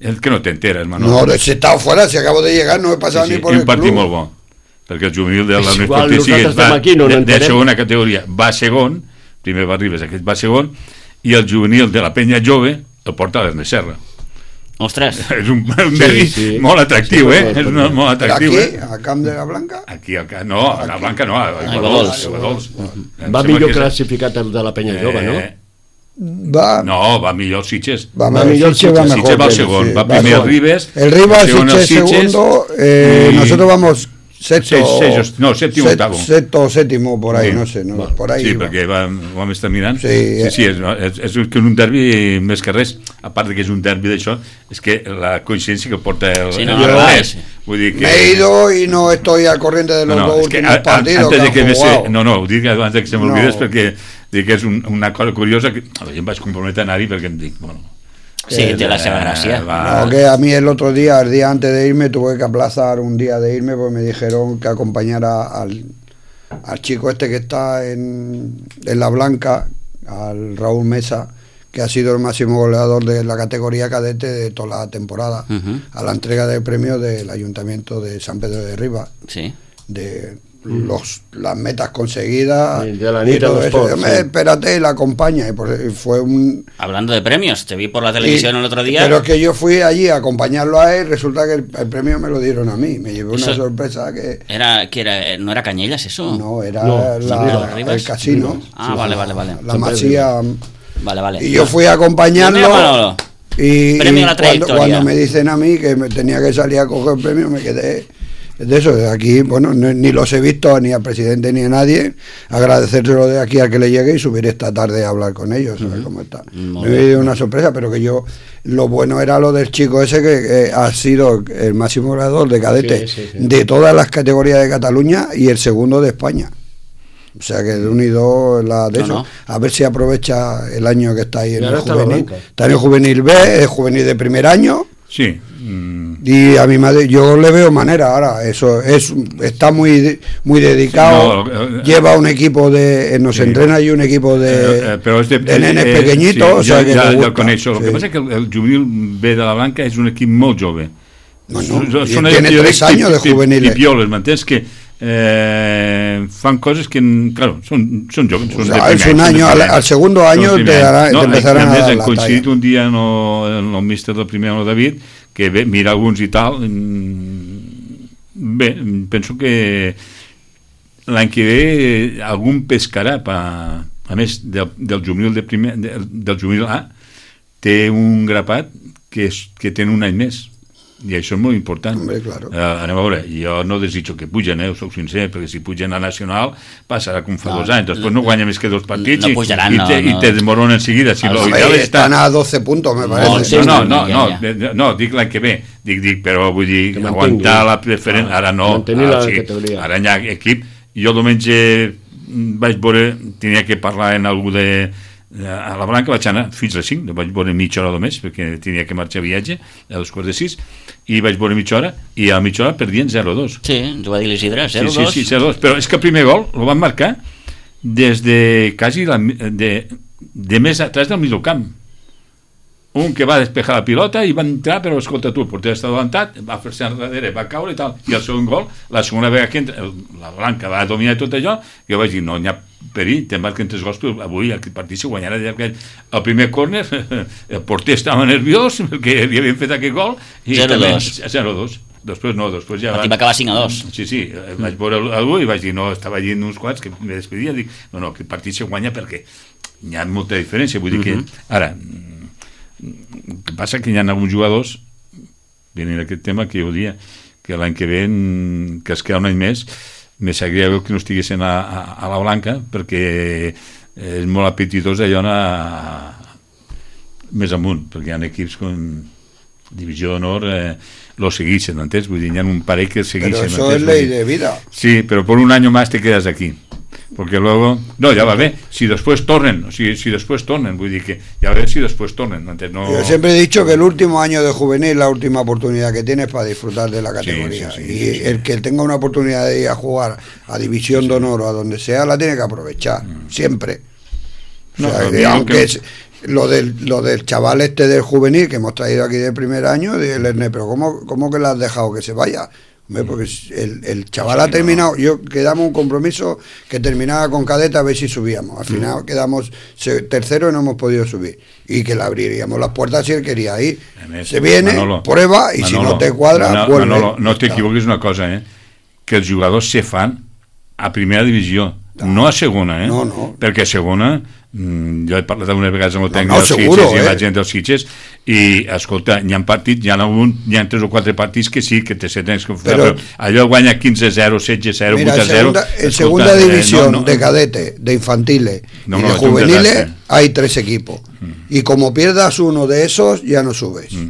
El que no t'enteres, Manol. No, si he estado fuera, si acabo de llegar, no he pasado sí, sí, ni por un el partit club. molt bo, perquè el juvenil de la És Unió igual, Esportiva Sitges nosaltres estem va aquí, no de, de n'entenem. segona categoria, va segon, primer va Ribes, aquest va segon, i el juvenil de la Peña Jove el porta l'Ernest Serra. Ostres, És un, un derbi sí. molt atractiu, Sí, eh? per- És una, molt Pero atractiu, aquí, eh? a Camp de la Blanca, Aquí, al ca- no, a la Blanca no, a Iguadols. Iguadols. Em Va sembla millor que és- classificat el de la Penya Jove, no? Eh, va, No, va millor el Sitges. va, va el millor Sitges va Sitges, mejor. Sitges va al que- segon, sí, va primer el segon. Ribes, El Ribas, segon el Sitges Sitges, segundo, eh, y- nosotros vamos sexto, Seis- seis- no, séptimo, set- octavo. sexto o séptimo, por ahí, Sí. no sé, no, Va. por ahí. Sí, va. perquè va, ho vam estar mirant. Sí, sí, eh. sí és, no, és, és que un derbi més que res, a part de que és un derbi d'això, és que la coincidència que porta el, Sí, el no, Ernest, sí. vull dir que... Me he ido y no estoy al corriente de No, los no, dos és que últimos a, a, partidos antes de que que han ve jugado. ser, no, no, ho dic abans de que se m'oblidés No. perquè dic que és un, una cosa curiosa que jo em vaig comprometre a anar-hi perquè em dic, bueno... sí, té la seva gràcia. va, No, que a mí el otro día, el día antes de irme, tuve que aplazar un día de irme porque me dijeron que acompañara al, al chico este que está en, en La Blanca, al Raúl Mesa, que ha sido el máximo goleador de la categoría cadete de toda la temporada, Ujú. a la entrega de premios del Ayuntamiento de San Pedro de Ribas, Sí. de los, las metas conseguidas Sí, de la y Anita todo de eso. Sport, Yo me, sí. espérate y la acompaña, y por- y fue un... Hablando de premios, te vi por la televisión Y- el otro día. Pero es que yo fui allí a acompañarlo a él, resulta que el, el premio me lo dieron a mí. Me llevé una Eso- sorpresa que Era, que era, eh, ¿no era Cañellas eso? no era No, la- Rivas. el casino. Ah, vale, vale, vale. La San Pedro. masía. Vale, vale. Y yo fui a acompañarlo. Mira, Manolo. Y, Premio y a la cuando, trayectoria. cuando me dicen a mí que me tenía que salir a coger el premio, me quedé de eso. De aquí, bueno, no- ni los he visto ni al presidente ni a nadie. Agradecérselo de aquí al que le llegue y subir esta tarde a hablar con ellos, a ver cómo está. Muy Me dio una sorpresa, pero que yo, lo bueno era lo del chico ese que, que ha sido el máximo goleador de cadete Sí, sí, sí. de todas las categorías de Cataluña y el segundo de España. O sea que de unido la de No, eso. no. A ver si aprovecha el año que está ahí Y en el ahora está en la juvenil. banca. Está en el juvenil B, es juvenil de primer año. Sí. mm, Y a mi madre, yo le veo manera ahora. Eso es, está muy, de- muy dedicado. Sí, no, eh, lleva un equipo de, eh, nos sí. entrena ahí un equipo de, eh, eh, però és de, de nenes eh, pequeñitos. sí, o sea ja, que ja, te ja gusta. el coneixo. El Sí. que passa és que el, el juvenil B de la Blanca és un equip molt jove. Bueno, Són- y són tiene allò, jo tres dic, años de pi- pi- juveniles. Pipioles, m'entens? Que eh, fan coses que, claro, són, són joves. O Són sea, de es primer un any, són de año, al, primer any. al segundo Són año de te, primer any. dará, no, te empezarán a a més, dar hem la coincidit talla. un dia en el, en el míster del primer any de David, que bé, mira alguns i tal. Bé, penso que l'any que ve algun pescarà pa, a més del, del juvenil de primer, del, del juvenil A té un grapat que, és, que té un any més i això és molt important. Hombre, claro. uh, anem a veure, jo no desitjo que pugen, eh, us soc sincer, perquè si pugen a Nacional passarà com fa no, dos anys, després no guanya més que dos partits no pujaran, i, i, te, no, no. i te desmorona enseguida. Si no, no, estan a doce puntos, me parece. No, no, no, no, no, no dic l'any que ve, dic, dic, però vull dir, que aguantar la preferent, ara no, ara, sí, ara hi ha equip. Jo diumenge vaig veure, tenia que parlar en algú de a la Blanca, vaig anar fins a les cinc, vaig veure mitja hora només perquè tenia que marxar a viatge a les quarts de sis i vaig veure mitja hora i a mitja hora perdien zero dos. Sí, ens ho va dir l'Isidre, zero dos. Sí, sí, sí, zero dos, però és que el primer gol el van marcar des de quasi la, de, de més atrás del mig del camp. Un que va despejar la pilota i va entrar, però escolta tu, el porter està adelantat, va fer-se enrere, va caure i tal, i el segon gol, la segona vegada que entra, la Blanca va dominar tot allò, jo vaig dir, no, n'hi ha perill, te'n marquen tres gols, però avui aquest partit se guanyarà. El primer córner, el porter estava nerviós, perquè li havien fet aquest gol, i zero dos. zero dos. Després no, després ja... Va acabar cinc a dos. Sí, sí, vaig veure algú i vaig dir, no, estava allí uns quants que me despedia, dic, no, no, aquest partit se guanya perquè hi ha molta diferència, vull dir que, ara... El que passa que hi ha alguns jugadors venint aquest tema que jo dia que l'any que ve que es queda un any més me sabria que no estiguessin a, a, a la Blanca perquè és molt apetitós allò anar més amunt perquè hi ha equips com Divisió d'Honor eh, lo seguixen, ¿entens? Vull dir, hi ha un parell que seguixen. Pero eso es ley de vida. Sí, pero por un año más te quedas aquí. Porque luego, no, ya va a ver, si después tornen, si, si después tornen, voy a decir que ya va a ver si después tornen. Antes no... Yo siempre he dicho que el último año de juvenil es la última oportunidad que tienes para disfrutar de la categoría. Sí, sí, sí, y sí, sí. El que tenga una oportunidad de ir a jugar a División sí, de Honor o a donde sea, la tiene que aprovechar, mm. siempre. O sea, no, que, aunque que... es, lo, del, lo del chaval este del juvenil que hemos traído aquí del primer año, del Erne, pero ¿cómo, ¿cómo que le has dejado que se vaya? Porque el, el chaval ha terminado, yo quedamos un compromiso que terminaba con cadeta a ver si subíamos, al final mm. quedamos tercero y no hemos podido subir y que le abriríamos las puertas si él quería ir. Se viene, Manolo, prueba y Manolo, si no te cuadra, Manolo, vuelve. Manolo, no t'equivoquis una cosa, eh? Que els jugadors se fan a primera divisió, no, no a segona, eh? No, no. Perquè a segona, mmm, jo he parlat algunes vegades amb el tècnic no, no, dels seguro, Sitges eh? i la gent dels Sitges i, escolta, hi ha partits, hi ha, algun, hi ha tres o quatre partits que sí, que te se tens que fer, però, però allò guanya quinze zero, setze zero, vuit a zero. Mira, en segunda división eh, no, no, de cadete, de infantiles no, y de no, juveniles hay tres equipos mm. y como pierdas uno de esos ya no subes. Mm.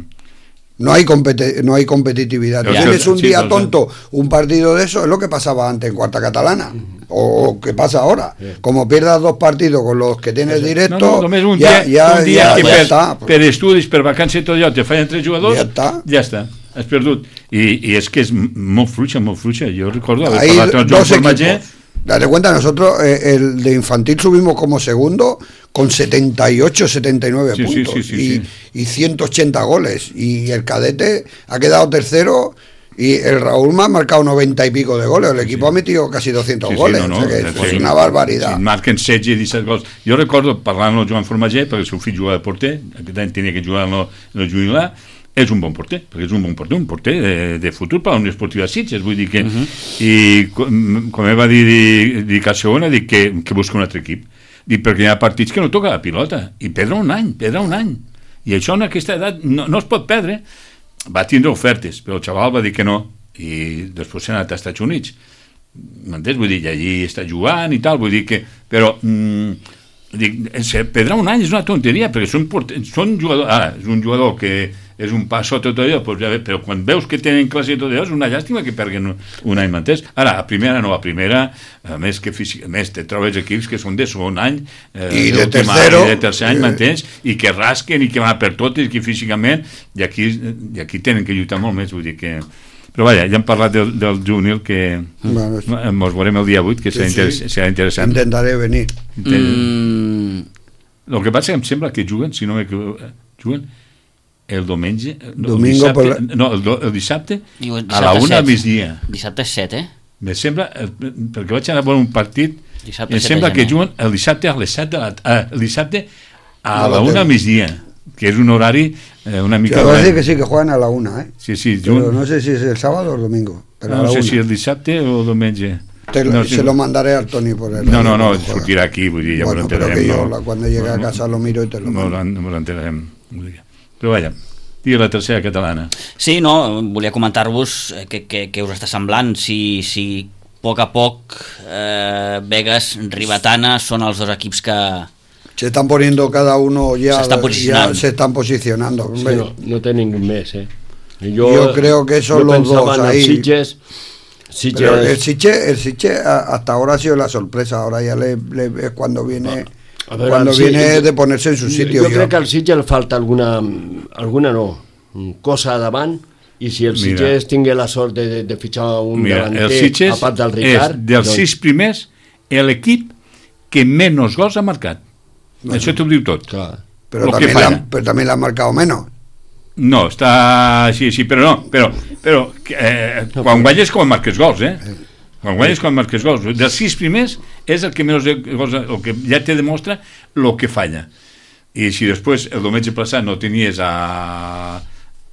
No hay competi- no hay competitividad. Ya, tienes un sí, día tonto, un partido de eso, es lo que pasaba antes en Cuarta Catalana, o que pasa ahora. Como pierdas dos partidos con los que tienes directo, no, no, només un ja, dia, ja, un dia ja, que ja per, està. Per estudis, per vacances i tot allò, te fallen tres jugadors, ja està. Ja està, has perdut. I, i és que és molt fluixa, molt fluixa. Jo recordo haver Hay parlat amb el Joan Formager. Date cuenta, nosotros eh, el de infantil subimos como segundo con setenta y ocho, setenta y nueve sí, puntos sí, sí, sí, y, sí. y ciento ochenta goles y el cadete ha quedado tercero y el Raúl me ha marcado noventa y pico de goles, el equipo sí. ha metido casi doscientos sí, sí, goles, no, no, o sea que sí, es sí, una barbaridad. Sí, marquen setze i disset gols. Jo recordo parlant amb el Joan Formager, perquè el seu fill jugava de porter, aquest any tenia que jugar en el, en el juvenil A, és un bon porter, perquè és un bon porter, un porter de, de futur per a la Unió Esportiva Sitges, vull dir que, uh-huh. i com, com ell va dir, dic, dic a segona, dic que, que busca un altre equip, dic perquè hi ha partits que no toca la pilota, i perdre un any, perdre un any, i això en aquesta edat no, no es pot perdre. Va tindre ofertes, però el xaval va dir que no, i després s'ha anat als Estats Units, m'entens? Vull dir, allí està jugant i tal, vull dir que, però... Mm, dic, perdre un any és una tonteria, perquè són, són jugadors, ara, és un jugador que és un pas sota tot allò, doncs ja ve, però quan veus que tenen classe i tot allò, és una llàstima que perguen un, un any, m'entens? Ara, a primera no, a primera, a més que físic, a més te trobes equips que són de segon any, eh, i de tercero, i de tercer any, m'entens? I que rasquen i que van per totes, que físicament, i aquí, i aquí tenen que lluitar molt més, vull dir que... Però vaja, ja hem parlat del, del juvenil que bueno, ens veurem el dia vuit, que sí, serà, interess sí. serà interessant. Intentaré venir. Mm. El que passa que em sembla que juguen, si no m'equivoco, juguen el diumenge, Domingo el dissabte, la... no, el, el dissabte, Diu, a la una al migdia. Dissabte set, eh? Me sembla, perquè vaig anar a veure un partit, dissabte em sembla que juguen el dissabte a les set de la... Eh, el dissabte a la una al migdia. que és un horari eh, una mica... Quiero decir que sí, que juegan a la una, ¿eh? Sí, sí. Pero Jo... no sé si es el sábado o el domingo. Pero No, a la no sé una. si el dissabte o el diumenge. Te lo- no, se lo mandaré al Toni por el... No, no, no, cuando juega. sortirà aquí, vull dir, ja Bueno, m'ho pero que enterarem. yo No, la- cuando llegue a casa lo miro y te lo no, mando. no, no l'enterarem. Però vaja, digui la tercera catalana. Sí, no, volia comentar-vos eh, que, que, que us està semblant, si, si a poc a poc eh, Vegas, Ribetana són els dos equips que... Se están poniendo cada uno ya, Se están ya posicionando. se están posicionando. Sí, hombre. no, no té ningú més, eh? Yo creo que son yo los pensaba dos en el ahí. Sitges, Sitges, Pero el Siche, el Siche a- hasta ahora ha sido la sorpresa, ahora ya le, le- es cuando viene A veure, cuando el viene Sitges- de ponerse en su sitio. Jo yo. crec que al Sitges le falta alguna, alguna no, cosa davant, i si el Mira. Sitges tingué la sort de, de, de fitxar un Mira, davanter el Sitges a part del és Ricard, dels sis primers l'equip que menys gols ha marcat. Bueno. Això t'ho diu tot. Clar. pero, lo que también le falla. han, pero también le han marcado menos. No, està així, sí, però no, però, però eh, quan guanyes com marques gols, eh? Quan guanyes com marques gols. Dels sis primers és el que menys gols, el que ja te demostra el que falla. I si després el diumenge passat no tenies a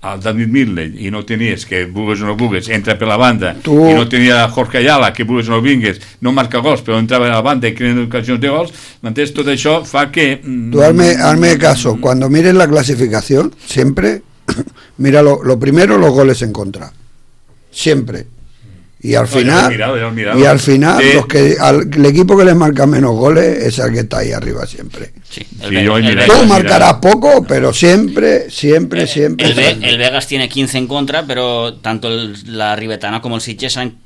al David Midley i no tenies, que vulgues o no vulgues, entra per la banda, Tu... i no tenia a Jorge Ayala, que vulgues o no vingues, no marca gols, però entrava a la banda i creen ocasions de gols, m'entens? Tot això fa que... mm, Tú hazme, hazme caso, cuando mires la clasificación, siempre mira lo, lo primero los goles en contra. Siempre. Y al No, ya lo he final, mirado, ya lo he mirado. y al final Sí. los que al, el equipo que les marca menos goles es el que está ahí arriba siempre. Sí, Sí, yo he el, mirado. Tú Vegas, marcarás poco, pero siempre, siempre, eh, siempre. el, Ve- el Vegas tiene quince en contra, pero tanto el- la Ribetana como el Sitges han-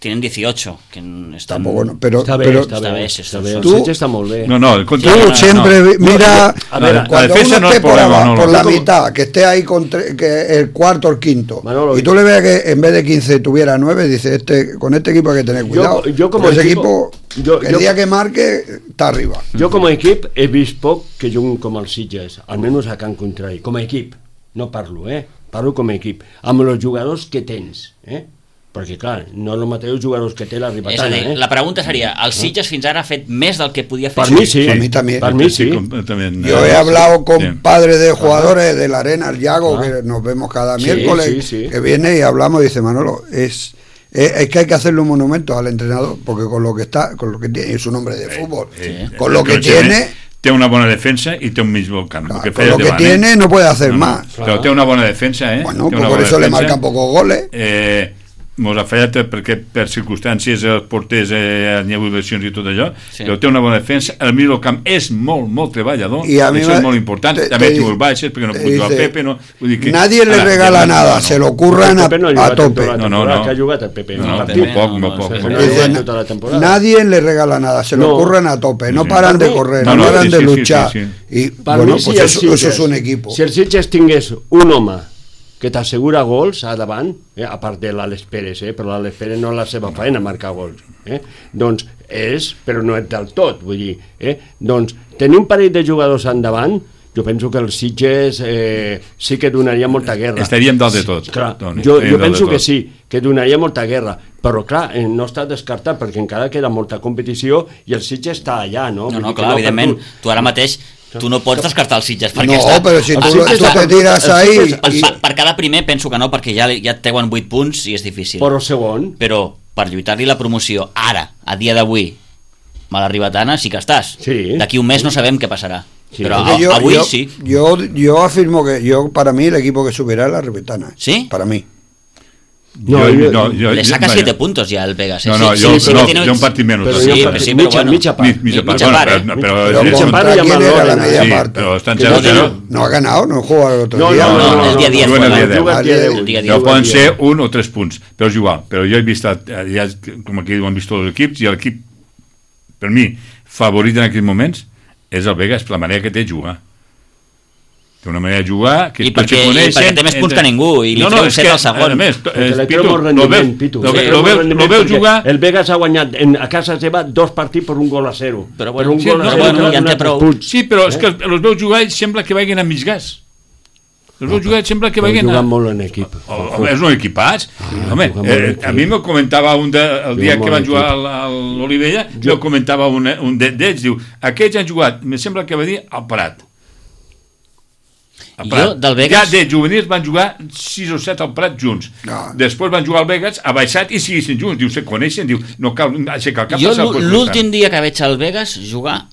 tienen dieciocho, que están... Tampoco, no, pero, Està bé, pero està està bé, bé, està sí, bé. sí. El Tu- Sitges està molt bé. No, no, el tú contra... no, siempre no. vi- mira, a ver, la cuando defensa uno no es esté por, problema, abajo, no, por no. la Como- mitad, que esté ahí con tre- que el cuarto o el quinto, Manolo, y tú le veas que en vez de quince tuviera nueve, dice, este con este equipo hay que tener cuidado. yo como Porque ese equipo- equipo, yo- el yo- día que marque, está arriba. Jo com a equip he vist poc que juguen com el Sitges, almenys a Can Contrari, com a equip, no parlo, eh? Parlo com a equip, amb els jugadors que tens, eh? Perquè, clar, no el mateix jugadors que té la És a Ribetana, dir, eh? la pregunta seria, el Sitges fins ara ha fet més del que podia fer? Per mi sí, Per mi també. per mi sí. completament. Yo he Eh, hablado con sí. padres de jugadores de la Arena, el Yago, Ah. que nos vemos cada Sí, miércoles, sí, sí. que viene y hablamos y dice, Manolo, es, es, es que hay que hacerle un monumento al entrenador, porque con lo que está, con lo que tiene, es un hombre de fútbol, Eh, con lo que eh, tiene, té una bona defensa i té un mig bon camp. claro, el que con feia lo que davant, eh? tiene no puede hacer No, no, más. Però té una bona defensa, eh? Bueno, Té pues una por bona eso le defensa. marcan pocos goles. Eh, mos ha fallat perquè per circumstàncies els porters eh, hi ha hagut lesions i tot allò, Sí. però té una bona defensa, el mig del camp és molt, molt treballador, Y a mí això me- és molt important, te- també te- tingut baixes perquè no te puc jugar dice, Pepe, no, vull dir que... Nadie le Ara, regala ja no, nada, no, se no. lo curran El a, Pepe no ha a jugat en tope. tota la No, no, temporada, no. que ha jugat el Pepe. No, un no, partit. molt poc, no, molt no, poc. no, molt no, poc. Dice, no, tota la temporada. nadie le regala nada, se lo No. curran a tope, no Sí. paran de Para mí- correr, No, no, no, paran sí, de sí, sí, luchar. sí, Y Per bueno, mi, pues si el eso, Sitges- eso es un equipo. Si el Sitges tingués un home que t'assegura gols a davant, eh, a part de l'Àlex Pérez, eh, però l'Àlex Pérez no és la seva feina marcar gols, eh, doncs és, però no és del tot, vull dir, eh, doncs tenir un parell de jugadors endavant, jo penso que el Sitges eh, sí que donaria molta guerra. Estaríem dalt de tot, Clar, Toni, jo, estaríem jo dalt de penso que tot. sí, que donaria molta guerra, però clar, eh, no està descartat perquè encara queda molta competició i el Sitges està allà, no? No, Vull no, dir que clar, evidentment, per tu ara mateix tu no pots descartar el Sitges perquè No, està... pero si el tú, Sitges tú està- te tiras el ahí Sitges- Per, y- per, per cada primer penso que no, perquè ja, ja et treuen vuit punts i és difícil. Però segon, Però per lluitar-li la promoció ara, a dia d'avui, a la Ribetana sí que estàs. Sí. D'aquí un mes no sabem què passarà. Sí. Però Porque a, yo, avui yo, sí. yo, yo afirmo que yo para mí el equipo que subirá es la Ribetana. ¿Sí? Para mí. No, Jo- jo- no, jo- Le saca vaya. siete puntos ja al Vegas. Eh? No, no, sí, jo, sí, sí no, que tiene... jo un partit menys. però sí, hi ha però partit, sí, però mitja, bueno. mitja part. Mi- mitja part, mitja bueno, part, però, eh? no, però, Pero Mitja llavors- part contra y quién llamarlo era la Lorena. media sí, parte. però estan Que zero no zero. tiene- No ha ganado, no juega el otro No, día. no, no, no, el dia no, diez no, fue el no, dia deu. juga el dia deu. El dia No deu. poden ser un o tres punts, però és igual. Però jo he vist, eh, ja, com aquí ho han vist tots els equips, i l'equip, per mi, favorit en aquests moments, és el Vegas, per la manera que té de jugar. Té una manera de jugar que I tots perquè- se i coneixen. perquè té més punts que ningú, i li no, treu no, és set que, al segon. A més, Perquè eh, li Pitu, treu molt lo rendiment, veus, Pitu. lo, Sí, ve- treu lo, molt veus, rendiment lo veus perquè jugar... El Vegas ha guanyat en, a casa seva dos partits per un gol a zero. Però bueno, per un sí, gol no, a però zero bueno, que ja en té ha donat prou. punts. Sí, però és que els veus jugar i sembla que vagin a mig gas. Els veus jugar i sembla que Però vagin a... jugant molt en equip. Oh, home, és un equipats. Home, juga molt eh, equip. a mi me comentava un de, el dia Juga que molt van jugar equip. a l'Olivella, jo comentava un, un de- d'ells, diu, aquests han jugat, me sembla que va dir, al Parat. a Prat. Jo, del Vegas... Ja de juvenils van jugar sis o set al Prat junts. No. Després van jugar al Vegas, ha baixat i seguissin junts. Diu, se coneixen, diu, no cal aixecar el cap. Jo l'últim dia que veig al Vegas jugar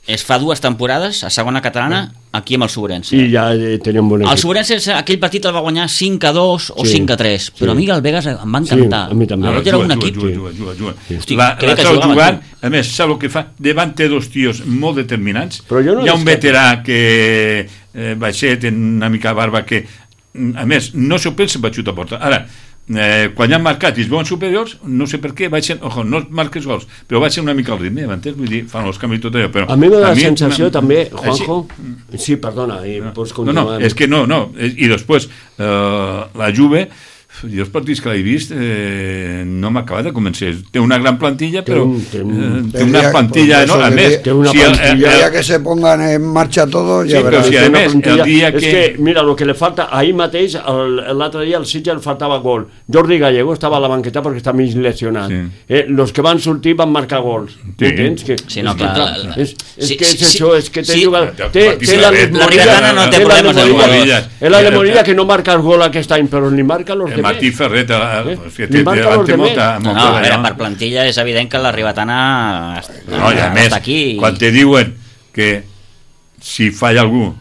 es fa dues temporades a segona catalana aquí amb el Sobrense. I ja eh, teníem bon equip. El Sobrense aquell partit el va guanyar cinc a dos o Sí, cinc a tres, però sí. a mi el Vegas em va encantar. Sí, a mi també. El Veig era un equip. Juga, juga, juga, juga. Hosti, La, crec la que trau jugava, jugant, a més, sap el que fa? Davant té dos tios molt determinants. Però jo no Hi ha un descarto. veterà que eh, baixet, en una mica barba, que a més, no s'ho pensa per xutar a porta. Ara, eh, quan ja han marcat i es veuen superiors, no sé per què, baixen, ojo, no marques gols, però baixen una mica el ritme, m'entens? Vull dir, fan els canvis i tot allò, però... A mi me da la mi- sensació m- també, així- Juanjo... Sí, perdona, i no, pots no, continuar. no, és que no, no, i després eh, la Juve, jo els partits que l'he vist eh, no m'ha acabat de convencer. Té una gran plantilla, però un- té un- eh, té El una día- plantilla, por no? eso A el més, día- té una si el- plantilla el- El día que se pongan en marcha todos, Sí, ya pero verás. si Té a una més, plantilla- el dia és que- que, mira, el que le falta, ahir mateix, el- l'altre dia al Sitges li faltava gol. Jordi Gallego estava a la banqueta perquè està mig lesionat. Sí. Eh, los que van sortir van marcar gols. Sí. Entens? Que, Sí, no, és clar, que, la- la- és, és sí, que és sí, això, és que té sí. jugat... Ja, Té, partits té de la red. La Ribetana no té té la problemes de Lemorilla- gols. És la Lemorilla que no marca el gol aquest any, però ni marca los el demés. Martí Ferret, eh, Eh? que Li té, marca té, los té demés. molta... No, molta no, a veure, allò. per plantilla és evident que la Ribetana No, i a més, està aquí. quan te diuen que si falla algú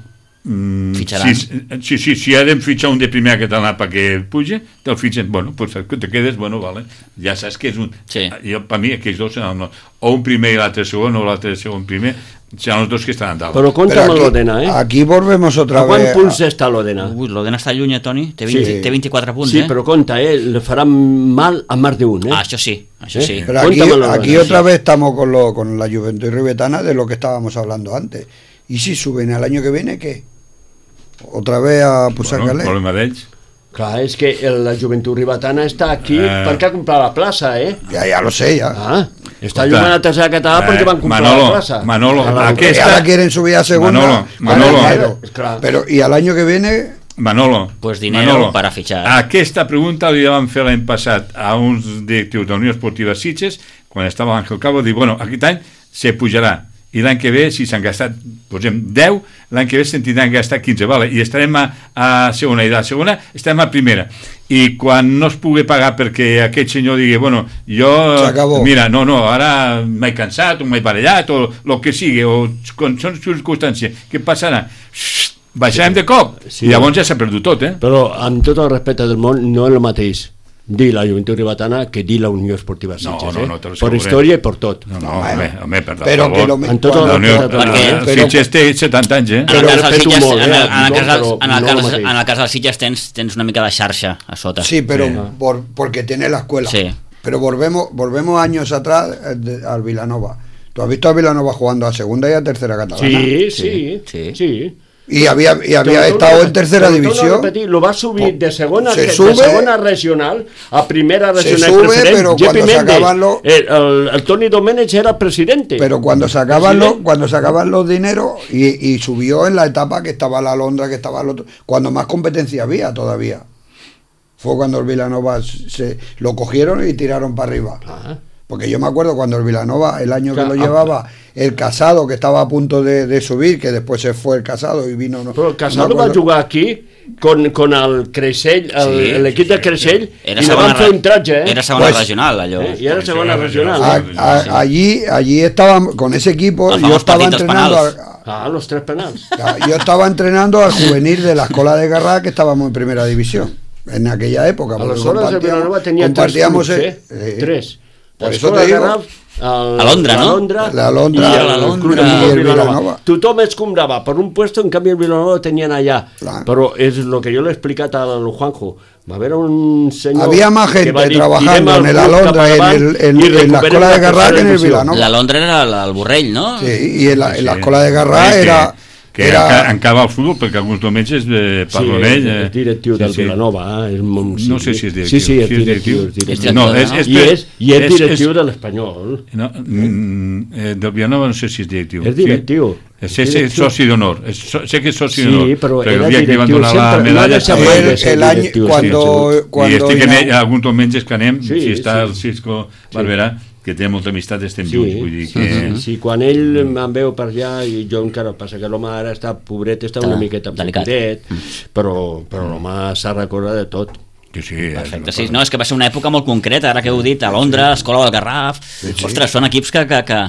mm, Fitxaran. si, si, si, si ha de fitxar un de primer català perquè puja, te'l fitxen, bueno, pues que te quedes, bueno, vale, ja saps que és un... Sí. Jo, per mi, aquells dos seran no, o un primer i l'altre segon, o l'altre segon primer, seran els dos que estaran dalt. Però compta amb Pero l'Odena, eh? aquí volvemos otra A quants vez. punts està l'Odena? Ui, l'Odena està lluny, eh, Toni? Té, vint, Sí. té vint-i-quatre punts, Sí, eh? però compta, eh? Le faran mal a más de un, eh? Ah, això sí, això Eh? sí. Pero aquí, Cuéntamelo, aquí Lorenzo. otra vez estamos con, lo, con la Juventud Ribetana de lo que estábamos hablando antes. ¿Y si suben al año que viene, qué? Otra vez a bueno, Pusacalé. el problema d'ells. Clar, és que el- la joventut ribetana està aquí Eh. perquè ha comprat la plaça, eh? Ya, ya lo sé, ya. Ah, està Escolta, jugant a tercera català perquè van comprar Manolo, la plaça. Manolo, A la- aquí Y está- ahora quieren subir a segunda. Manolo, con Manolo. dinero. Claro. Pero, ¿y al año que viene? Manolo, Pues dinero para fichar. Aquesta pregunta li vam fer l'any passat a uns directius de la Unió Esportiva Sitges, quan estava Ángel Cabo, dir, bueno, aquest any se pujarà, i l'any que ve, si s'han gastat, posem deu, l'any que ve se'n tindran gastat quinze, vale? I estarem a, a segona, i de la segona estarem a primera. I quan no es pugui pagar perquè aquest senyor digui, bueno, jo, S'acabó. mira, no, no, ara m'he cansat, o m'he barallat, o el que sigui, o quan són circumstàncies, què passarà? Baixarem de cop, Sí. i llavors ja s'ha perdut tot, eh? Però amb tot el respecte del món no és el mateix dir la joventut ribetana que dir la Unió Esportiva Sitges, No, no, eh? no, te lo per asseguré. història i per tot. No, no, home, home, per Pero favor. que lo En tot La el Unió, respecte del Perquè- món, eh? però- Sitges té setanta anys, eh? En el Però cas dels respeto Sitges, molt, en eh, el, en el tothom, cas dels, però en el no cas, el mateix. en el cas dels Sitges tens, tens una mica de xarxa a sota. Sí, pero Sí. por- porque tiene la escuela. Sí. Pero volvemos volvemos años atrás eh, de- al Vilanova. ¿Tú has visto a Vilanova jugando a segunda y a tercera catalana? Sí, sí, Sí. sí. sí. Y había, y había Te lo estado torno a en tercera repetir, te lo torno a división. repetir, lo va a subir de segona, Se de sube- segona regional a primera Se regional sube, preferent. pero Jepi cuando se Méndez, acaban los- el, el, el Toni Domènech era presidente. Pero cuando sacaban Presidente. los, cuando sacaban los dineros y, y subió en la etapa que estaba la Londra, que estaba el otro, cuando más competencia había todavía. Fue cuando el Vilanova se lo cogieron y tiraron para arriba. Ah. Porque yo me acuerdo cuando el Vilanova, el año Claro, que lo llevaba, el Casado, que estaba a punto de, de subir, que después se fue el Casado y vino... No, Però el Casado no me va acuerdo. jugar aquí con, con el Creixell, el, Sí, l'equip de Creixell, Era i li segona, van fer un tratge, eh? era segona Pues- regional, allò. Eh? I era segona regional. A- eh? a- allí, allí estaba, con ese equipo, El yo famós estaba partit dels entrenando... penals. al- Ah, los tres penals. Yo estaba entrenando al juvenil de la Escuela de Garrá, que estábamos en primera división en aquella época. A porque les hores de compartíamos- Vilanova tenia tres compartíamos clubs, el- eh? eh, Tres. Por La eso Escola te de digo. Garraf, el, A Londra, la no? Londra, La Londra, i el, la el Londra Club de i Futbol el Vilanova. Vilanova. Tothom es comprava per un puesto, en canvi el Vilanova lo tenien allà. Clar. Però és el que jo l'he explicat al Juanjo. Va haver un senyor... Había más que gente va dir, trabajando "Tirem en el el club cap Alondra, en, avant el, en, i en la recuperem Escuela de Garrá, que tercera en el divisió". Vilanova. La Londra era la- el Borrell, no? Sí, y en la, en la Sí. Escuela de Garrá Que- era... que era enca- encava el futbol, perquè alguns diumenges eh, Sí, parlo amb ell. és, és directiu sí, del sí. Vilanova. Eh? És, molt- No sé si és directiu. Sí, sí, és Si és directiu. directiu. És directiu. És directiu, No, no? és, és, I és, i és directiu és, de l'Espanyol. no, mm, eh, del Vilanova no sé si és directiu. És directiu. Sí? Sé, És sé, directiu. soci d'honor. És so- Sé que és soci Sí, d'honor. però perquè era el dia que li van directiu donar la sempre, no medalla... deixa estava- mai el, de ser el año directiu, sí, cuando, I cuando estic en ina- ell, alguns diumenges que anem, Sí, si està sí. el Cisco Barberà, que té molta amistat, estem Sí, junts, vull dir sí, que... sí, sí, quan ell me'n veu per allà i jo encara passa que l'home ara està pobret, està una Ah, miqueta delicat. pobret, però, però l'home s'ha recordat de tot. que sí, Perfecte, sí, no, és que va ser una època molt concreta, ara que heu dit, a Londres, Escola del Garraf, ostres, són equips que, que, que,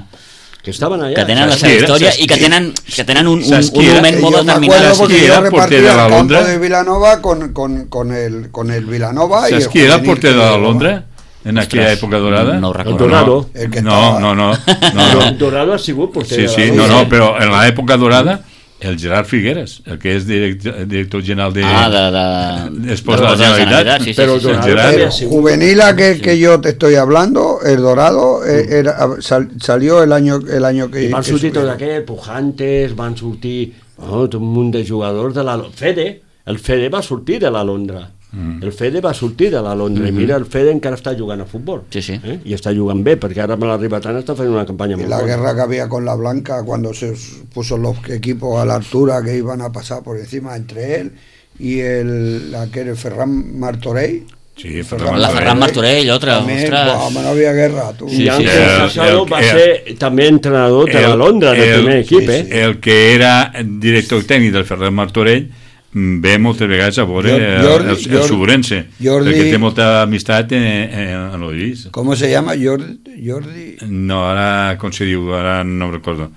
Que estaven allà. que tenen la Saps seva qui era? història Saps i que qui- tenen, que tenen un, un, saps qui un era? moment molt Yo me determinat. acuerdo porque ¿Qui yo era el porter de repartía la el campo Londra? de Vilanova con, con, con, el, con el Vilanova y el Saps qui era el juvenil porter que de la llevaba. Londra en aquella Ostres, època dorada? no ho El recordo. Dorado. El que No, estaba- no, no, no, No, no. Dorado ha sigut porter Sí, de la sí, Londra. no, no, però en l'època dorada el Gerard Figueres, el que és director, director general de... Ah, de, de, Después de la Generalitat. sí, sí, Però sí, sí. Dorado Gerard. també ha El sigut... juvenil aquel que yo te estoy hablando, el Dorado, eh, era, sal- salió el año, el año que... I van que sortir tots subieron. aquests, Pujantes, van sortir oh, tot un munt de jugadors de la... Fede, el Fede va sortir de la Londra. Mm. El Fede va sortir de la Londra. Mm -hmm. I mira, el Fede encara està jugant a futbol. Sí, sí. Eh? I està jugant bé, perquè ara amb la Ribetana està fent una campanya Y molt la bona. guerra que había con la Blanca cuando se puso los equipos a la altura que iban a pasar por encima entre él y el aquel Ferran Martorell. Sí, Ferran La Ferran Martorell, otra, También, ostres. buah, no había guerra, tú. Sí, I Ángel el- Casado el- va el- ser també entrenador de la Londra, del primer equip, sí, eh? sí. El que era director tècnic del Ferran Martorell ve moltes vegades a veure Jordi- el, el, el Jordi- Suburense, Jordi- perquè té molta amistat en, en, en l'Ollís. ¿Cómo se llama? Jordi. Jordi. No, ara, com se diu, ara no recordo.